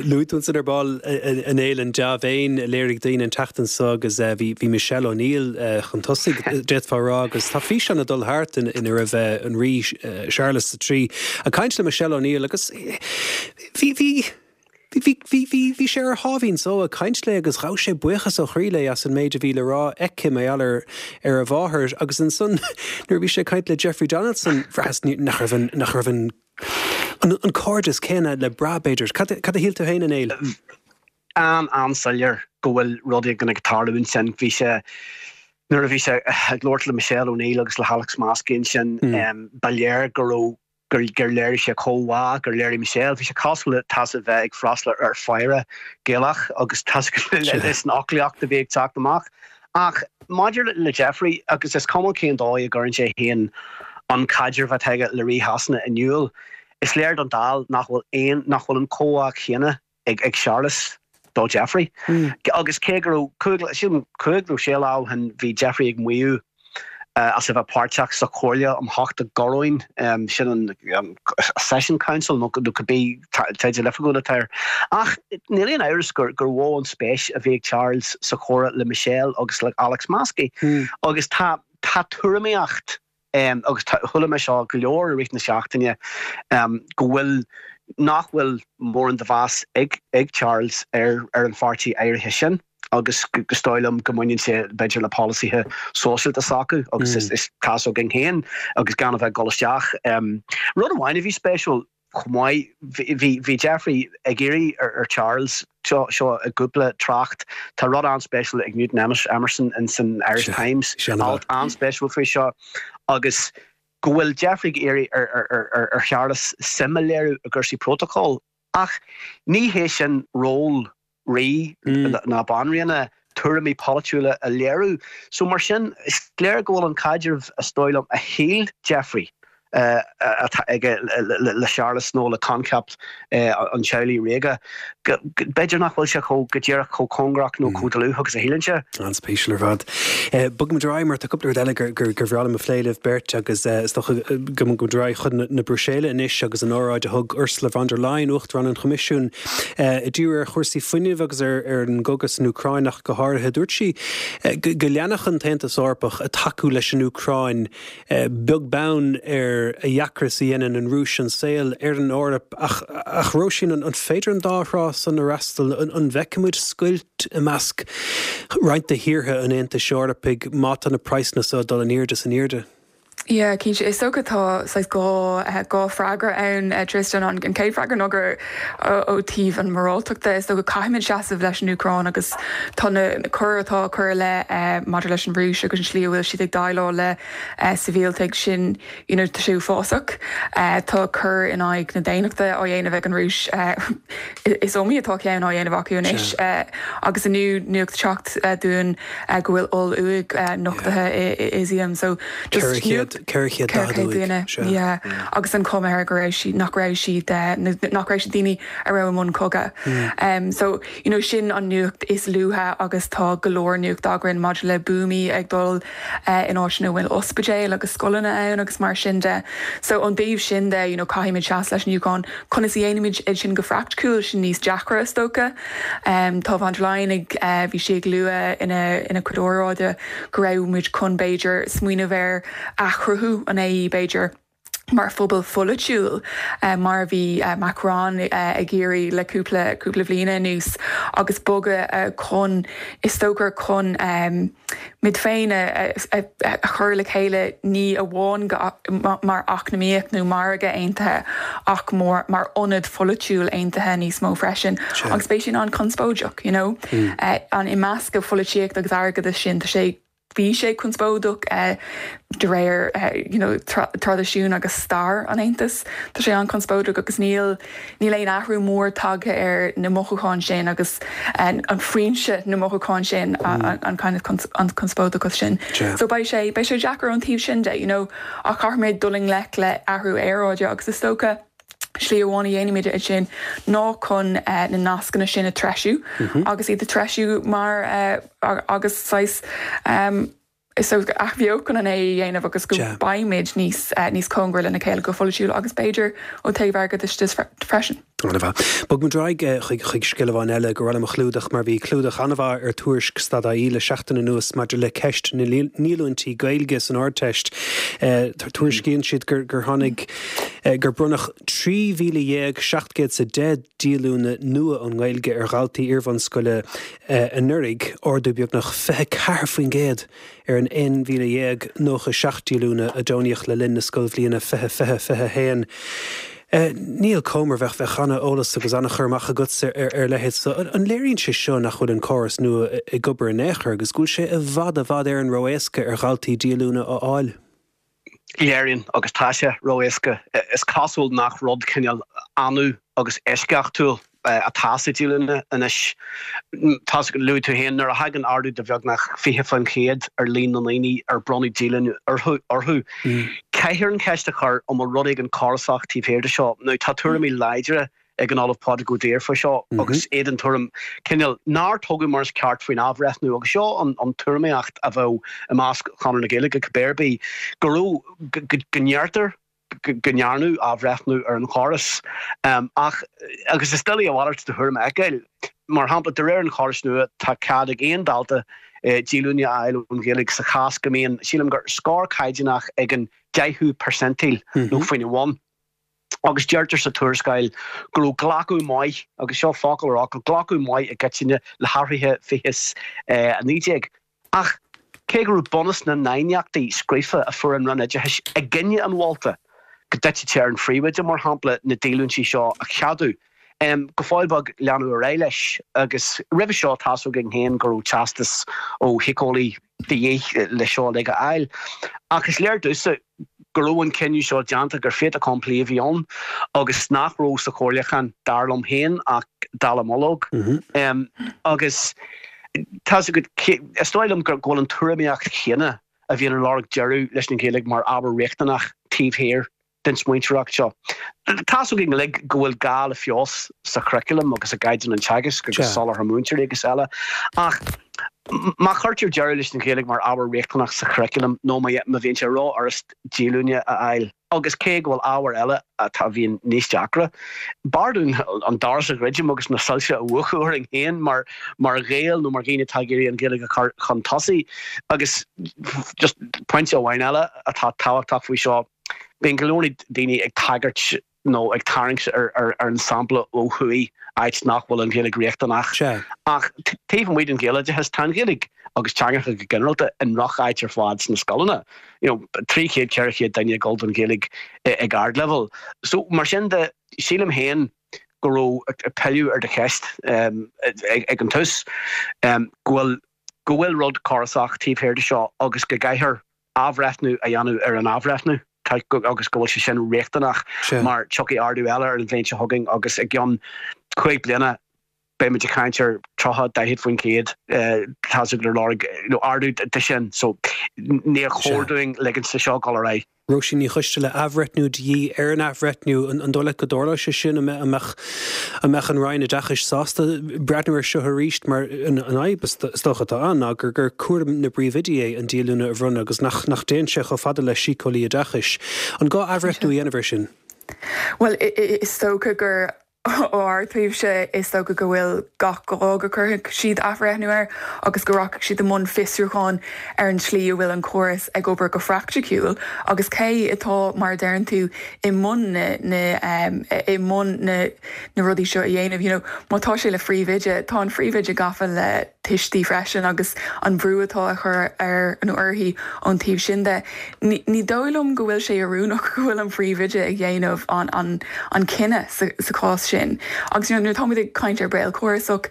Luaigh tú ansan ar ball a Néill an dea-mhéin a léirigh daoine an tseachtain seo agus bhí Michelle O'Neill chun tosaigh, d'fhéadfá a rá, agus tá físeán ag dul thart ina raibh an Rí Séarlas a Trí ag caint le Michelle O'Neill agus bhí, bhí, Bhí, bhí, bhí, bhí sé ar a sháimhín só ag caint léi agus ghabh sé buíochas ó chroí léi as an méid a bhí le rá aici mar gheall ar, ar a mháthair agus ansan nuair a bhí sé ag caint le Jeffrey Donaldson bhraitheas nach raibh an, nach raibh an, an, an cairdeas céanna le brath b'fhéidir. Cad, cad a shíl tú féin a Néill? An, an-soiléir go bhfuil rud éigin ag tarlú ansin. Bhí sé, nuair a bhí sé ag labhairt le Michelle O'Neill agus le hAlex Maskey ansin, ba léir go raibh gur gur léirigh sé comhbhá, gur léirigh Michelle, bhí sé cosúil le tá's a bheith ag freastal ar faire Gaelach agus tá's leis an fhoclaíocht a bhí ag teacht amach. Ach maidir le Jeffrey, agus is cuma cén dóigh a gcuireann sé féin an caidreamh atá aige le Rí Shasana in iúl, is léir don dall nach bhfuil aon, nach bhfuil an comhbhá céanna ag ag Séarlas do Jeffrey. Agus cé go raibh cúig, sílim cúig nó sé lá ó shin bhí Jeffrey ag maíomh as a bheith páirteach sa Chomhairle um Theacht i gCoróin, sin an Accession Council nó cibé teideal oifigiúil atá air. Ach níl aon amhras gur mhó an spéis a bhí ag Charles sa chomhrá le Michelle agus le Alex Maskey. Agus tá tá tuairimíocht agus chuala mé seo go leor i rith na seachtaine go bhfuil nach bhfuil mórán de mheas ag ag Charles ar ar an pháirtí áirithe sin agus is dóigh liom go mbaineann sé b'fhéidir le polasaithe sóisialta s'acu agus is is tá's againn féin agus gan a bheith ag dul isteach. Rud amháin a bhí spéisiúil chomh maith, bhí bhí Jeffrey ag iarraidh ar ar Charles seo seo i gcúpla trácht, tá rud an-spéisiúil ag Newton Emerson in san Irish Times, alt an-spéisiúil faoi seo agus go bhfuil Jeffrey ag iarraidh ar ar ar ar ar Charles suim a léiriú i gcúrsaí prótacail ach ní hé sin ról rí ná banríona tuairimí polaitiúla a léiriú. So mar sin, is léir go bhfuil an caidreamh is dóigh liom a shíl Jeffrey atá aige le Séarlas nó le coincheap an teaghlaigh ríoga, b'fhéidir nach bhfuil sé chomh go díreach chomh cóngarach nó chomh dlúth agus a shíleann sé. An-spéisiúil ar fad. Bogfaimid ar aghaidh mar tá cúpla rud eile gur gur bhreá liom a phlé libh beirt agus is dócha go mbogfaimid ar aghaidh chun na Bruiséile anois agus an óráid a thug Ursula von der Leyen, Uachtarán an Choimisiúin, ag díriú ar chúrsaí fuinnimh agus ar ar an gcogadh san Úcráin ach go háirithe. Dúirt sí go leanfadh an tAontas Eorpach ag tacú leis an Úcráin beag beann ar a dheacra is a dhéanann an Rúis an saol ar an Eoraip. Ach, ach Róisín, an féidir an dá thrá san a fhreastal? An bhfeicfimid scoilt i measc roinnt de thíortha an Aontais Eorpaigh má tá na praghsanna seo ag dul in airde is in airde? Yeah, cinnte. Is dócha tá saghas dhá dhá freagra ann, Tristan. An chéad freagra ná gur ó taobh an mhoráltachta, is dócha caithfimid seasamh leis an Úcráin agus tá na coir atá á cur i leith maidir leis an Rúis agus an slí a bhfuil siad ag déileáil le sibhialtaigh sin you know tá sé uafásach. Tá coir in aghaidh na daonnachta á dhéanamh ag an Rúis. Is iomaí atá ceann á dhéanamh acu anois agus inniu nuacht teacht dúinn go bhfuil oll-uaigh nochtaithe i Izium. So just Ceithre chéad daichead uaigh, sea. Agus an chuma air go raibh siad, nach raibh siad, nach raibh siad daoine a raibh i mbun cogadh. So, you know, sin an nuacht is luaithe agus tá go leor nuacht againn maidir le buamaí ag dul in áiteanna a bhfuil ospidéil agus scoileanna ann agus mar sin de. So, ón dtaobh sin de, you know, caithfimid seasamh leis an Úcráin. Conas a dhéanaimid é sin go praiticiúil, sin níos deacra is dócha. Tá von der Leyen ag, bhí sí ag lua ina, ina cuid óráide go raibh muid chun b'fhéidir smaoineamh ar athchruthú an AE b'fhéidir. mar phobal pholaitiúil mar a bhí Macron ag iarraidh le cúpla cúpla bhliain anuas agus bogadh chun is dócha chun muid féin a chur le chéile ní amháin mar eacnamaíocht nó margadh aontaithe ach mór mar ionad pholaitiúil aontaithe níos mó freisin agus beidh sin an-chonspóideach you know an imeascadh pholaitíocht agus airgeadas sin tá sé Bhí sé conspóideach de réir you know traidisiún agus stair an Aontais. Tá sé an-chonspóideach agus níl níl aon athrú mór tagtha ar na mothúcháin sin agus an foinse na mothúcháin sin an kind of an conspóideachas sin. So beidh sé beidh sé deacair ón taobh sin de, you know, ach caithfimid dul i ngleic le athrú aeráide agus is dócha slí amháin a dhéanaimid é sin ná chun na nascanna sin a treisiú agus iad a treisiú mar agus saghas is athbheochan an A a dhéanamh agus go mbeimid níos níos cóngaraí lena chéile go polaitiúil agus b'fhéidir ó taobh airgeadais de freisin. An-mhaith. Bog muid ar aghaidh chuig chuig scéal amháin eile gur mhaith liom a chlúdach mar bhí clúdach an-mhaith ar Tuairisc stad ie le seachtain anuas maidir le ceist na ndíolúintí Gaeilge san Ardteist. Tuairiscíonn siad gur gur tháinig gur bronnadh trí mhíle dhéag seacht gcéad is a deich díolúine nua ón nGaeilge ar dhaltaí iarbhunscoile anuraidh, ardú beagnach fiche ceathair faoin gcéad ar an aon mhíle dhéag nócha seacht díolúine a deonaíodh le linn na scoilbhliana fiche fiche fiche a haon. Niall Comer, bheadh bheadh an-eolas agus an-chur amach agatsa ar ar leithéid so. An léiríonn sé seo nach bhfuil an córas nua ag obair in aon chor agus go bhfuil sé i bhfad i bhfad Éireann ró-éasca ar dhaltaí díolúine a fháil? Léiríonn, agus tá sé ró-éasca. Is cosúil nach rud cineál annamh agus eisceachtúil atá sa díolúine anois. Tá luaigh tú féin, nuair a thagann ardú de bheagnach fiche faoin chéad ar líon na ndaoine ar bronnadh díolúine orthu, caithfear an cheist a chur an bhfuil rud éigin córasach taobh thiar de seo. Now tá tuairimí láidre ag an Ollamh Pádraig Ó Duibhir faoi seo agus é den tuairim cineál nár tugadh mar is ceart faoin athbhreithniú agus seo an an tuairimíocht a bheadh i measc Chonradh na Gaeilge cibé ar bith go raibh go ndeirtear go ndearnadh athbhreithniú ar an chóras ach agus is doiligh a mhalairt de thuairim a fheiceáil. Mar shampla, de réir an chórais nua tá cead ag aon dalta díolúine a fháil ón Ghaeilge sa chás go mbíonn, sílim gur scór caighdeánach ag an deichiú percentile nó faoina bhun. Agus deirtear sa tuarascáil go raibh glacadh maith, agus seo focal ar fhocal, glacadh maith i gcoitinne le hathruithe fiche is a naoi déag. Ach cé go raibh bunús na n-aighneachtaí scríofa a fuair an Roinn Oideachais i gcoinne an mholta go dtitfeadh sé ar an phríomhoide, mar shampla, na díolúintí seo a cheadú, go fóill beag leanadh ar aghaidh leis. Agus roimhe seo tá's againn féin go raibh teastas ó shíceolaí de dhíth le seo uilig a fháil. Ach is léir domhsa go raibh an cinneadh seo déanta, gur fait accompli a bhí ann agus nach raibh sa chomhairliúchán, dar liom féin, ach dallamullóg. Agus tá's agat, is dóigh liom go bhfuil an tuairimíocht chéanna a bhíonn ag lorg deireadh leis an Ghaeilge mar ábhar riachtanach taobh thiar den smaointeoireacht seo. Tá's againn uilig go bhfuil gá le feabhas sa churaclam agus i gcaighdeán an teagaisc agus soláthar múinteoirí agus eile, ach má chuirtear deireadh leis an Ghaeilge mar ábhar riachtanach sa churaclam nó má bhíonn sé rófhurast díolúine a fháil, agus cé go bhfuil ábhair eile atá a bhíonn níos deacra, b'fhearr dúinn an doras a dhruidim agus na soilse a mhúchadh orainn féin mar mar Ghaeil nó mar dhaoine atá ag iarraidh an Ghaeilge a chur chun tosaigh. Agus just pointe amháin eile atá tábhachtach faoi seo, Bíonn go leor daoine ag tagairt nó ag tarraingt ar an sampla ó thuaidh, áit nach bhfuil an Ghaeilge riachtanach. Ach taobh amuigh den Ghaeloideachas, tá an Ghaeilge agus teangacha go ginearálta i ndroch-áit ar fad sna scoileanna. You know, trí chéad, ceithre chéad duine ag dul don Ghaeilge ag ardleibhéal. So, mar sin de, sílim féin go raibh, ag pilleadh ar do cheist ag an tús, go bhfuil go bhfuil rud córasach taobh thiar de seo agus go gcaithfear athbhreithniú a dhéanamh ar an athbhreithniú agus go bhfuil sé sin riachtanach mar tiocfaidh ardú eile ar an bhliain seo chugainn agus i gceann cúig bliana beidh muid ag caint ar tríocha, daichead faoin gcéad tá's agat ar lorg ardú de sin so níor chóir dúinn ligint de seo dul ar aghaidh. Róisín Ní Choisteala, Athbhreithniú de dhíth ar an athbhreithniú. An dóigh leat go dtarlóidh sé sin? An mbeadh an mbeadh an Roinn Oideachais sásta breathnú air seo arís? Mar an fhadhb is dócha atá ann ná gur gur cúram na bpríomhoidí é an díolúine a bhronnadh agus nach nach dtéann sé chomh fada le síceolaí oideachais. An gá athbhreithniú a dhéanamh air sin? Bhuel, is dócha gur Ó ár dtaobhse is dócha go bhfuil gach gá go gcuirfidh siad athbhreithniú air agus go rachaidh siad i mbun fiosrúcháin ar an tslí a bhfuil an córas ag obair go praiticiúil agus cé atá mar a deireann tú i mbun na na i mbun na na rudaí seo a dhéanamh. You know, má tá sé le phríomhoide, tá an phríomhoide gafa le tuistí freisin agus an brú atá á chur air nó uirthi ón taobh sin de. Ní dóigh liom go bhfuil sé oiriúnach go bhfuil an phríomhoide ag dhéanamh an an an cinneadh sa sa chás sin. Agus you know, nuair atáimid ag caint ar baol córasach,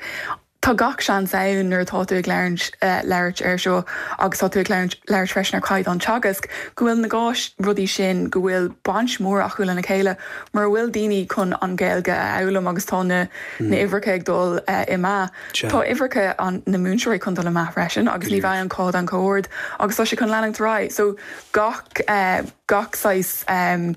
tá gach seans ann nuair atá tú ag labhairt labhairt air seo agus tá tú ag labhairt labhairt freisin ar chaighdeán teagasc, go bhfuil na dhá rudaí sin go bhfuil baint mhór acu lena chéile mura bhfuil daoine chun an Ghaeilge a fhoghlaim agus tá na na huimhreacha ag dul i meath. Tá uimhreacha an na múinteoirí chun dul i meath freisin agus ní bheidh an caighdeán chomh hard agus tá sé chun leanúint ar aghaidh. So gach gach saghas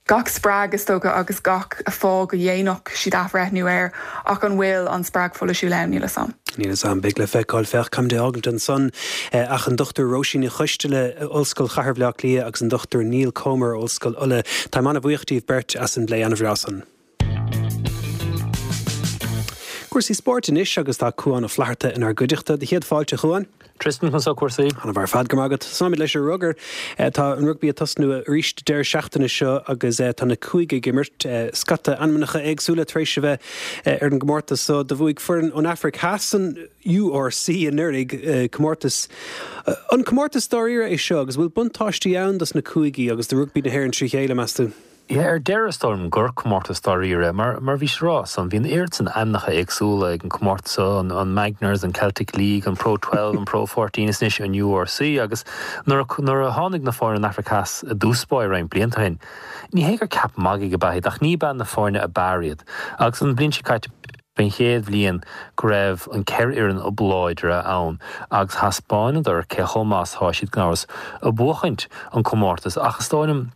gach spreag is dócha agus gach fáth go ndéanfadh siad athbhreithniú air ach an bhfuil an spreag pholaitiúil ann, níl a fhios a'm. Níl a fhios a'm, beidh le feiceáil. Féach, caithfimid é a fhágaint ansan ach an Dochtúir Róisín Ní Choisteala, Ollscoil Chathair Bhaile Átha Cliath agus an Dochtúir Neil Comer, Ollscoil Uladh. Táim an-bhuíoch díobh beirt as an bplé an-bhreá san. Cúrsaí spóirt anois agus tá Cuán Ó Flatharta inár gcuideachta. Do chéad fáilte, a Chuáin. Tristan, conas tá cúrsaí? An-mhaith ar fad, go raibh maith agat. Tosóimid leis an rugar. Tá an rugbaí ag tosnú arís deireadh seachtaine seo agus tá na cúigí ag imirt. Scata ainmneacha éagsúla tar éis a bheith ar an gcomórtas so. Do bhuaigh foireann ón Afraic Theas an URC anuraidh, comórtas. An comórtas dáiríre é seo agus bhfuil buntáistí ann dos na cúigí agus do rugbaí na hÉireann trí chéile, meas tú? Yeah, ar deireadh is dóigh liom gur comórtas dáiríre, mar mar bhís ag rá san, bhí an oiread san ainmneacha éagsúla ag an comórtas seo, an an Magners, an Celtic League, an Pro Twelve, an Pro Fourteen is anois an URC agus nuair a nuair a tháinig na foirne ón Afraic Theas i dtús báire roinnt blianta ó shin, ní hé gur ceap magaidh ab ea iad ach ní b'ea na foirne ab fhearr iad agus an bhliain seo caite b'é an chéad bhliain go raibh an ceithre fhoireann ab láidre ann agus thaispeánadar cé chomh maith is atá siad gan amhras ag buachaint an comórtas ach is dóigh liom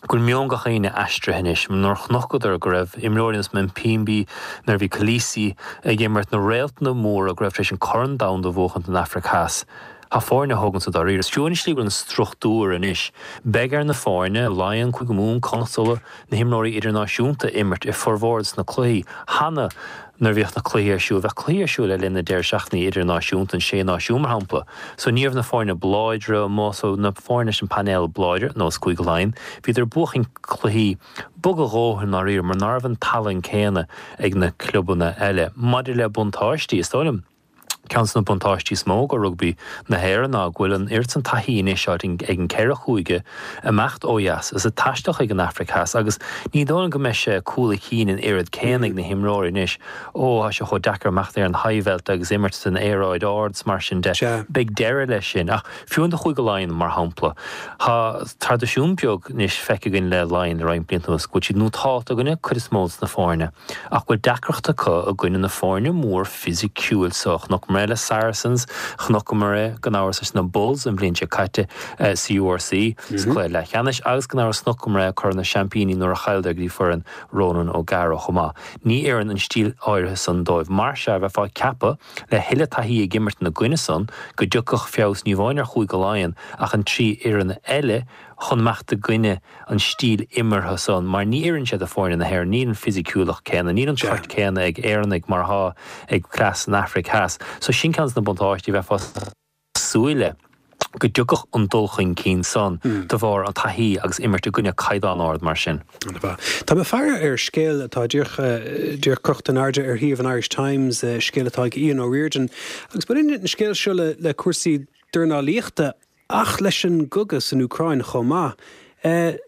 go bhfuil meon gach éinne aistrithe anois. Nuair a chonacadar go raibh imreoirí ar nós Mpimbi, nuair a bhí Kolisi ag imirt, na réaltanna móra go raibh tar éis an Corn Domhanda a bhuachaint don Afraic Theas, tá foirne a thógann sa dáiríre. Is fiú an slí go bhfuil an struchtúr anois. Beidh ar na foirne, Laighean, Cúige Mumhan, Connacht, Uladh, na himreoirí idirnáisiúnta imirt i formhór des na cluichí cheana. Nuair a bhíodh na cluichí ar siúl, bheadh cluichí ar siúl le linn na deireadh seachtainí idirnáisiúnta, an Sé Náisiún mar shampla. So ní raibh na foirne ab láidre amuigh, so na foirne leis an painéal ab láidre, nós Cúige Laighean, bhíodar ag buachan cluichí bog a dhóthain i ndáiríre mar ná raibh an tallann céanna ag na clubanna eile. Maidir le buntáistí, is dóigh liom, Ceann de na buntáistí is mó do rugbaí na hÉireann ná go bhfuil an oiread san taithí anois ag an ceithre chúige imeacht ó dheas is ag taisteal chuig an Afraic Theas agus ní dóigh liom go mbeidh sé cúl a chinn an oiread céanna ag na himreoirí anois. Ó, tá sé chomh deacair imeacht ar an Highveld agus imirt san aeráid ard is mar sin de. Beidh deireadh leis sin. Ach fiú do Chúige Laighean, mar shampla, tá traidisiún beag anois feicthe againn le Laighean le roinnt blianta anuas go bhfuil siad nótálta i gcoinne cuid is mó de na foirne ach go bhfuil deacracht acu i gcoinne na foirne mór fisiciúil so. Chonaiceamar é le Saracens, chonaiceamar é gan amhras leis na Bulls an bhliain seo caite sa URC sa chluiche leathcheannais agus gan amhras chonaiceamar é Corn na Seaimpíní nuair a chailleadar go dtí foireann Ronan O'Gara chomh maith. Ní oireann an stíl áirithe san dóibh. Mar sea, bheifeá ag ceapadh, le thuilleadh taithí ag imirt ina gcoinne san, go dtiocfadh feabhas ní amháin ar Chúige Laighean ach an trí fhoireann eile chun imeacht i gcoinne an stíl imeartha san mar ní oireann sé do foirne na hÉireann, níl an fisiciúlacht céanna, níl an toirt céanna ag Éireannaigh mar atá ag cleas san Afraic Theas. So sin ceann de na buntáistí, bheifeá ag súil le go dtiocfadh an dul chun cinn san de bharr an taithí agus imirt i gcoinne caighdeán ard mar sin. Tá mé ag faire ar scéal atá díreach díreach crochta in airde ar shuíomh an Irish Times, scéal atá ag Ian O'Riordan, agus baineann an scéal seo le le cúrsaí dornálaíochta Ach leis an gcogadh san Úcráin chomh maith,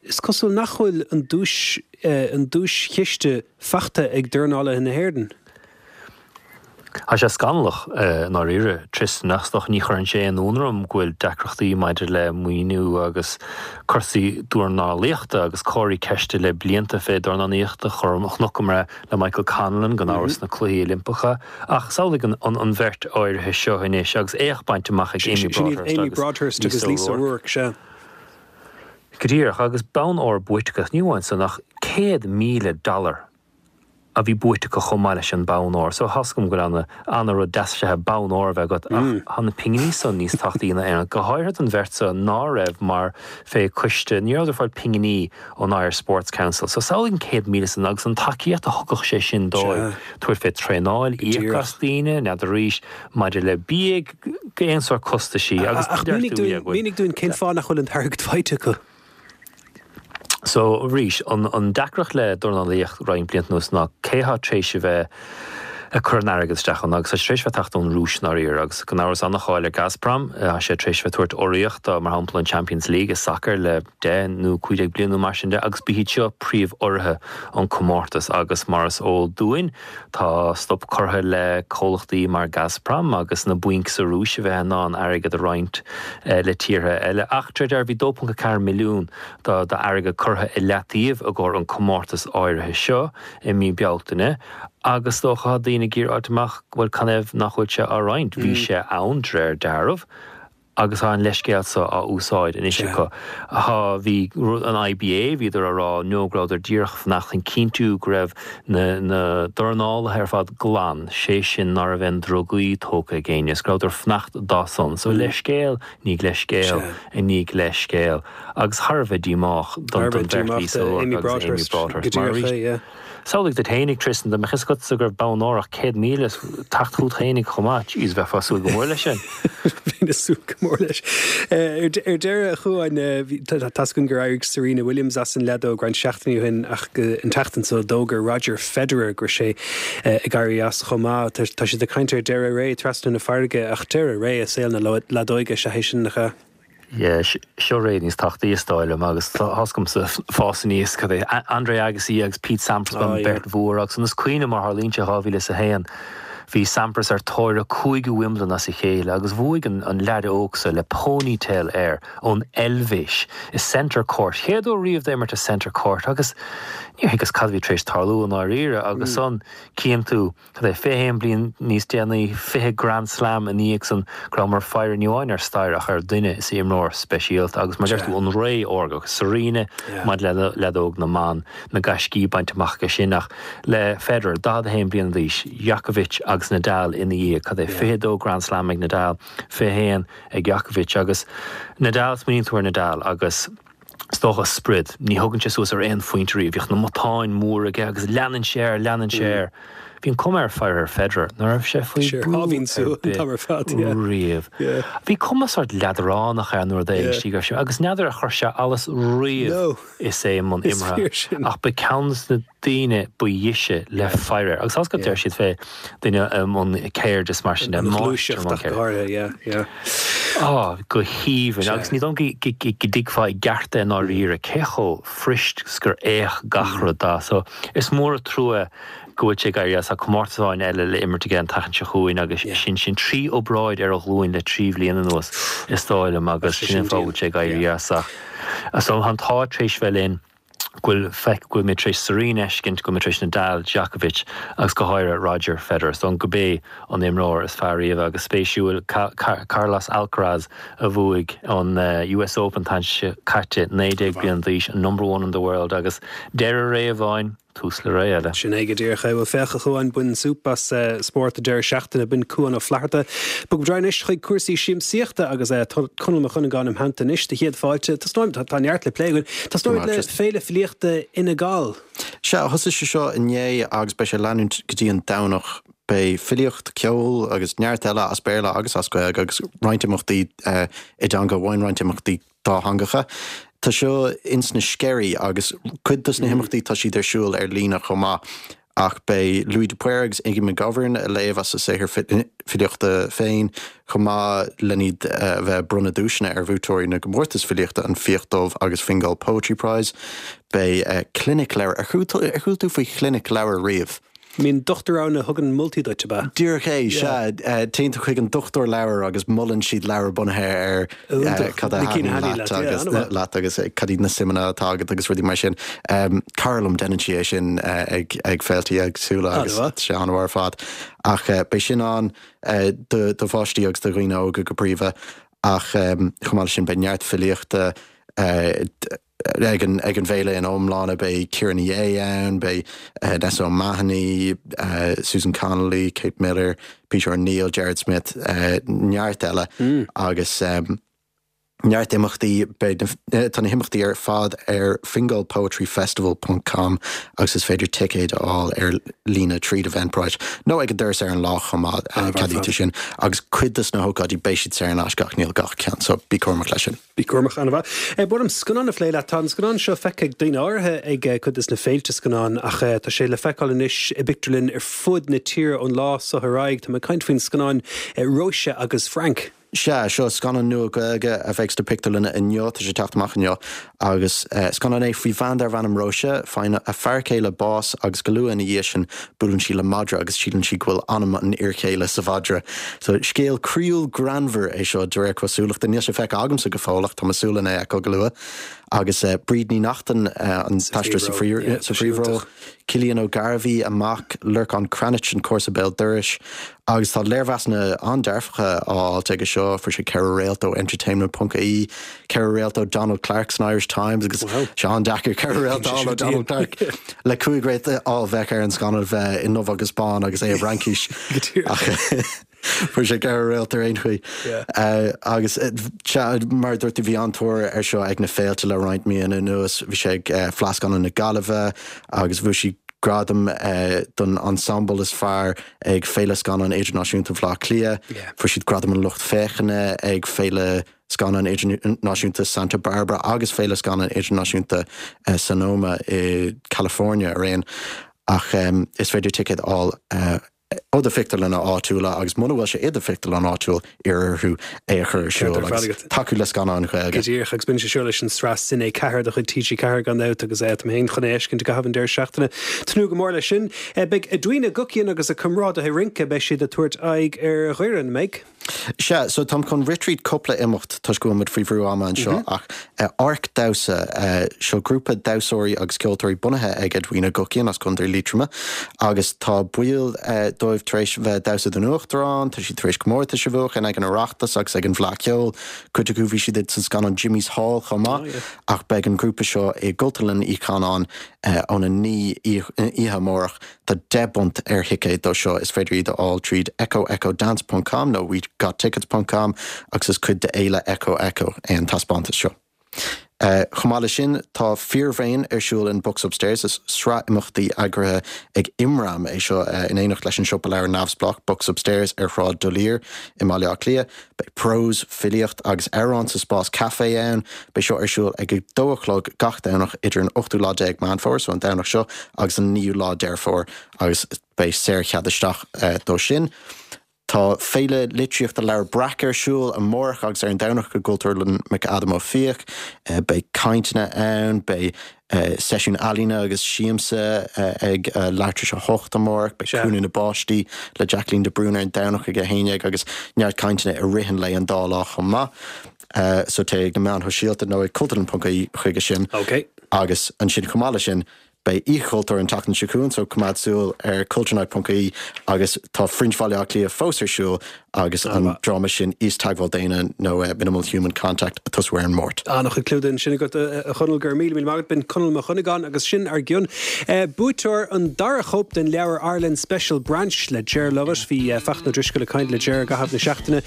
is cosúil nach bhfuil an duais, an duaischiste faighte ag dornálaithe na hÉireann. Tá sé scannalach i ndáiríre, Tristan, ach is dócha ní chuireann sé aon ionadh orm go bhfuil deacrachtaí maidir le maoiniú agus cúrsaí dornálaíochta agus comharthaí ceiste le blianta fé dornálaíocht a chonaiceamar é le Michael Conlan gan amhras sna Cluichí Oilimpeacha. Ach samhlaigh an bheirt áirithe seo anois agus éacht bainte amach ag Amy Broadhurst Amy Broadhurst agus agus Lisa Lisa O'Rourke. O'Rourke, sea. Go díreach, agus bonn óir buaite acu, ní amháin san ach céad míle dollar a bhí buaite acu chomh maith leis an bonn óir. So thá's agam go bhfuil ana-rud deas sé bonn óir a bheith agat ach tá na pinginí san níos tábhachtaí ná aon rud, go háirithe don bheirt seo ná raibh mar fé coiste, ní rabhadar ag fáil pinginí ón Irish Sports Council. So samhlaigh an céad míle san agus an tacaíocht a thugadh sé sin dóibh, tabhairt fé traenáil, íoc as daoine, n'fheadar arís maidir le bia, aon sórt costaisí agus Ach mínigh dúinn cén fáth nach bhfuil an t-airgead faighte acu? So, arís, an deacracht le dornálaíocht roinnt blianta anuas ná cé thá tréis a bheith ag cur an airgid isteach ann agus tá sé tréis bheith teacht ón Rúis i ndáiríre agus gan amhras an-cháil ar Gazprom, tá sé tréis bheith tabhairt urraíocht do, mar shampla, an Champions League i sacar le deich nó cúig déag bliain nó mar sin de agus ba hiad seo príomh-urraithe an comórtas agus mar is eol dúinn tá stop curtha le comhlachtaí mar Gazprom agus na bainc sa Rúis a bheith in ann airgead a roinnt le tíortha eile ach de réir dealraimh bhí dó ponc a ceathair milliún d'airgead curtha i leataobh i gcomhair an comórtas áirithe seo i mí Bealtaine agus is dócha tá daoine ag iarraidh fháilt amach bhuel canathaobh nach bhfuil sé á roinnt. Bhí sé ann de réir dealraimh agus tá an leithscéal seo á úsáid anois acu. Tá, bhí an IBA, bhíodar á rá no go rabhadar díreach fanacht chun cinntiú go raibh na na dornálaithe ar fad glan, sé sin ná raibh aon drugaí tógtha ag éinne, is go rabhadar fanacht dá son. So leithscéal i ndiaidh leithscéal i ndiaidh leithscéal. Agus thar a bheith díomách don bheirt Lisa O'Rourke agus Amy Broadhurst mar arís. Samhlaigh duit fhéinig, Tristan, dá mbeadh fhios agatsa go raibh bonn óir ach céad míle teacht chugat fhéinig chomh maith. Jeez, bheifeá ag súil go mór leis sin. Bheinn ag súil go mór leis. Ar deireadh, a Chuáin, tá's againn gur éirigh Serena Williams as an leadóg roinnt seachtainí ó shin ach an tseachtain seo d'fhógair Roger Federer go raibh sé ag éirí as chomh maith. Tá siad ag caint ar deireadh ré trasna na farraige ach deireadh ré i saol na leadóige is ea é sin, nach ea? Yeah, seo ré níos tábhachtaí is dóigh liom agus tá's agamsa fás aníos cad é Andre Agassi agus Pete Sampras oh, yeah. beirt mhór agus an is cuimhin mar tharlaíonn sé dhá mhíle is a haon bhí Sampras ar tóir a cúigiú Wimbledon as a chéile agus bhuaigh an, an leaid óg seo le ponytail air ón Eilvéis i Centre Court. Chéad uair riamh dó imirt i Centre Court agus níor thuigeas cad a bhí tar éis tarlú i ndáiríre agus mm. ansan cíonn tú Cad é, fiche haon bliain níos déanaí, fiche Grand Slam ina dhiaidh san, go rabhamar ag faire ní amháin ar stair ach ar dhuine is imreoir speisialta agus mar deir tú an ré órga agus Serena maidir le leadóg na mban, na gaiscí bainte amach aige sin ach le Federer, daichead a haon bliain d'aois, Djokovic agus Nadal ina dhiaidh, cad é, fiche dó Grand Slam ag Nadal, fiche haon ag Djokovic agus Nadal, smaoiníonn tú ar Nadal agus. Is dócha sprid. Ní thugann sé suas ar aon phointe riamh. Bhíodh na matáin móra aige agus leanann sé air, leanann sé air. Bhí an cuma ar faire ar Federer ná raibh sé faoi bhrú ar bith riamh. Bhí cuma sórt leadránach air nuair a d'éist sí go raibh sé, agus n'fheadar ar chuir sé allas riamh is é i mbun imeartha. Ach ba ceann de na daoine ba dheise le faire air. Agus tá's agat deir siad fé duine i mbun ceird is mar sin de, máistir i mbun ceirde. Á, go haoibhinn. Agus ní dóigh liom go dtuigfeá i gceart é i ndáiríre cé chomh fuirist 's gur fhéach gach rud dó. So, is mór an trua go bhfuil sé ag éirí as. Tá comórtas amháin eile le imirt aige an tseachtain seo chugainn agus sin sin trí obráid ar a ghlúin le trí bhliain anuas, is dóigh liom, agus sin an fáth go bhfuil sé ag éirí as. Ach, so, tá an t-ádh tar éis bheith linn. go bhfuil feic, go bhfuil mé tar éis Serena a fheiscint, go bhfuil mé tar éis Nadal, Djokovic agus go háirithe Roger Federer. Is dóigh liom gurb é an imreoir is fearr riamh agus spéisiúil Carlos Alcaraz a bhuaigh an US Open an tseachtain seo caite, naoi déag bliain d'aois, an number one in the world agus deireadh ré amháin, tús le ré eile. Sin é go díreach é. Bhuel, féach a Chuáin, bain súp as spórt an deireadh seachtaine. B'in Cuán Ó Flatharta. Bogfaidh muid anois chuig cúrsaí siamsaíochta agus Conall Mac Dhonnagáin im theannta anois do chéad fáilte. Tosnóimid, tá neart le plé againn. Tosnóimid le Féile Filíochta Fhine Gall. Sea, thosaigh sé seo inné agus beidh sé ag leanúint go dtí an Domhnach. Beidh filíocht, ceol agus neart eile as Béarla agus as Gaeilge agus roinnt imeachtaí i dteanga amháin, roinnt imeachtaí dátheangacha. Tá seo ins na Sceirí agus cuid dos na himeachtaí tá siad ar siúl ar líne chomh maith. Ach beidh Louis de Paor agus Iggy McGovern ag léamh as a saothar filíochta féin chomh maith len iad a bheith ag bronnadh duaiseanna ar bhuaiteoirí na gcomórtas filíochta An Fiach Dubh agus Fingal Poetry Prize. Beidh Clinic Leabhar. Ar chuala tú faoi Chlinic Leabhar riamh? Mbíonn dochtúir ann a thugann moltaí duit, ab ea? Díreach é, sea. Téann tú chuig an dochtúir leabhar agus molann siad leabhar bunaithe ar cad a thaitníonn leat agus leat agus cad iad na suimeanna atá agat agus rudaí mar sin. Cara liom, déanann sí é sin ag ag féiltí éagsúla agus tá sé an-mhaith ar fad. Ach beidh sin ann do do pháistí agus do dhaoine óga go príomha ach chomh maith leis sin beidh neart filíochta, ag an ag an bhféile ina iomláine beidh Ciara Ní É ann, beidh Nessa O'Mahony, Susan Connolly, Kate Miller, Peter O'Neill, Jared Smith, neart eile agus neart imeachtaí tá na himeachtaí ar fad ar Fingal Poetry Festival ponc com agus is féidir ticéid a fháil ar líne tríd Eventbrite nó ag an doras ar an lá chomh maith ceadaítear sin agus cuid de na hócáidí beidh siad saor in aisce ach níl gach ceann so bí cúramach leis sin. Bí cúramach an-mhaith. Ba mhaith liom scannán a phlé leat. Tá an scannán seo feicthe ag daoine áirithe ag cuid de na féilte scannán ach tá sé le feiceáil anois i bpictiúrlann ar fud na tíre ón lá seo ar aghaidh. Tá mé ag caint faoin scannán Róise agus Frank. Sea, seo scannán nua Gaeilge a bheidh sna pictiúrlanna inniu, tá sé ag teacht amach inniu, agus scannán é faoi bhean darb ainm Róise, faigheann a fear céile bás agus go luath ina dhiaidh sin buaileann sí le madra agus síleann sí go bhfuil anam an fhir chéile sa mhadra. So scéal croíúil greannmhar é seo de réir cosúlachta. Níl sé feicthe agamsa go fóill ach tá mé ag súil lena fheiceáil go luath. Agus Bríd Ní Neachtain an t-aisteoir sa phríomhról, Cillian Ó Gairbhí, a mac, Lorcán Cranitch an comharsa béal dorais, agus tá léirmheasanna an-dearfacha á fháilt aige seo, fuair sé ceithre réalt ó Entertainment ponc ie, ceithre réalt ó Donald Clarke san Irish Times agus sé an-deacair ceithre réalt a fháil ó Donald Clarke le cúig réalt a fháil bheadh ar an scannán bheith i ndubh agus bán agus é i bhFraincis. Fuair sé ceithre réalt ar aon chaoi. Agus mar a dúirt tú bhí an-tóir air seo ag na féilte le roinnt míonna anuas. Bhí sé ag Fleadh Scannán na Gaillimhe agus bhuaigh sé gradam don ensemble is fearr ag Féile Scannán Idirnáisiúnta Bhaile Átha Cliath. Fuair siad gradam an lucht féachana ag Féile Scannán Idirnáisiúnta Santa Barbara agus Féile Scannán Idirnáisiúnta Sonoma i California araon. Ach is féidir ticéad a fháil ó do phictiúrlanna áitiúla agus muna bhfuil sé i do phictiúrlann áitiúil, iarr orthu é a chur ar siúl agus tacú le scannáin Ghaeilge. Go díreach, agus baineann sé seo leis an tsraith Cine ceathair de chuid T G ceathair gan dabht agus tá mé féin chun é a fheiscint i gcaitheamh an deireadh seachtaine. Tnúth go mór leis sin. Beidh Edwina Guckian agus a comrádaithe rince, beidh siad ag tabhairt aghaidh ar Dhoire, an mbeidh? Sea, so táim chun rith tríd cúpla imeacht toisc go bhfuil muid faoi bhrú ama anseo ach Arc Damhsa, seo grúpa damhsóirí agus ceoltóirí bunaithe ag Edwina Guckian as Contae Liatroma agus tá baill dóibh tar éis bheith ag damhsa don Uachtarán, tá siad tar éis comórtais a bhuachan ag an Oireachtas agus ag an bhFleadh Cheoil, cuid acu bhí siad sa scannán Jimmy's Hall chomh maith ach beidh an grúpa seo i gCultúrlann Uí Chanáin óna naoi oíche amárach. Tá deich bpunt ar thicéad dó seo, is féidir iad a fháil tríd echo echo dance ponc com nó we got tickets ponc com agus is cuid de Fhéile Echo Echo é an taispeántas seo. Chomh maith leis sin, tá Fíorbhréan ar siúl in Books Upstairs, is sraith imeachtaí eagraithe ag Imram é seo in éineacht leis an siopa leabhar neamhspleách Books Upstairs ar Shráid D'Olier i mBaile Átha Cliath. Beidh prós, filíocht agus amhráin sa spás caife ann. Beidh seo ar siúl ag a dó a chlog gach Domhnach idir an ochtú lá déag Meán Fómhair, so an Domhnach seo, agus an naoú lá Deireadh Fómhair agus beidh saorchead isteach dó sin. Tá Féile Litríochta Leabhar Breac ar siúl amárach agus ar an Domhnach i gCultúrlann McAdam Ó Fiaich. Beidh cainteanna ann, beidh seisiún ealaíne agus siamsa ag leathuair tar éis a hocht amárach, beidh Cúnamh na bPáistí le Jacqueline de Brún ar an Domhnach ag a haon dhéag agus neart cainteanna i rith an lae an dá lá chomh maith. So téigh ag na meáin shóisialta nó ag cultúrlann ponc ie chuige sin. Agus ansin chomh maith leis sin, Beidh Oíche Chultúir an tseachtain seo chugainn, so coimeád súil ar culturenight ponc ie agus tá Fringe Bhaile Átha Cliath fós ar siúl agus an dráma sin Íosteagmháil Daonna nó Minimal Human Contact ag tosú ar an Máirt. An-chuid clúdaigh ansin agat, a Chonaill, go raibh míle míle maith agat. B'in Conall Mac Dhonnagáin agus sin ár gcionn. Buaiteoir an dara chóip den leabhar Ireland Special Branch le Ger Lovett. Bhí Fachtna Ó Drisceoil ag caint le Ger i gcaitheamh na seachtaine.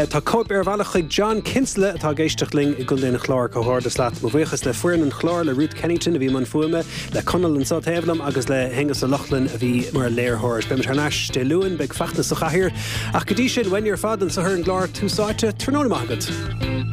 Tá cóip ar a bhealach chuig John Kinsella atá ag éisteacht linn i gContae an Chláir. Comhghairdeas leat. Mo bhuíochas le foireann an chláir, le Ruth Kennington a bhí i mbun fuaime, le Conall anseo taobh liom agus le hAonghus Ó Lochlainn a bhí mar léiritheoir. Beidh muid thar n-ais Dé Luain, beidh Fachtna sa chathaoir. Ach go dtí sin, uainne ar fad anseo ar an gclár Tús Áite, tráthnóna maith agat.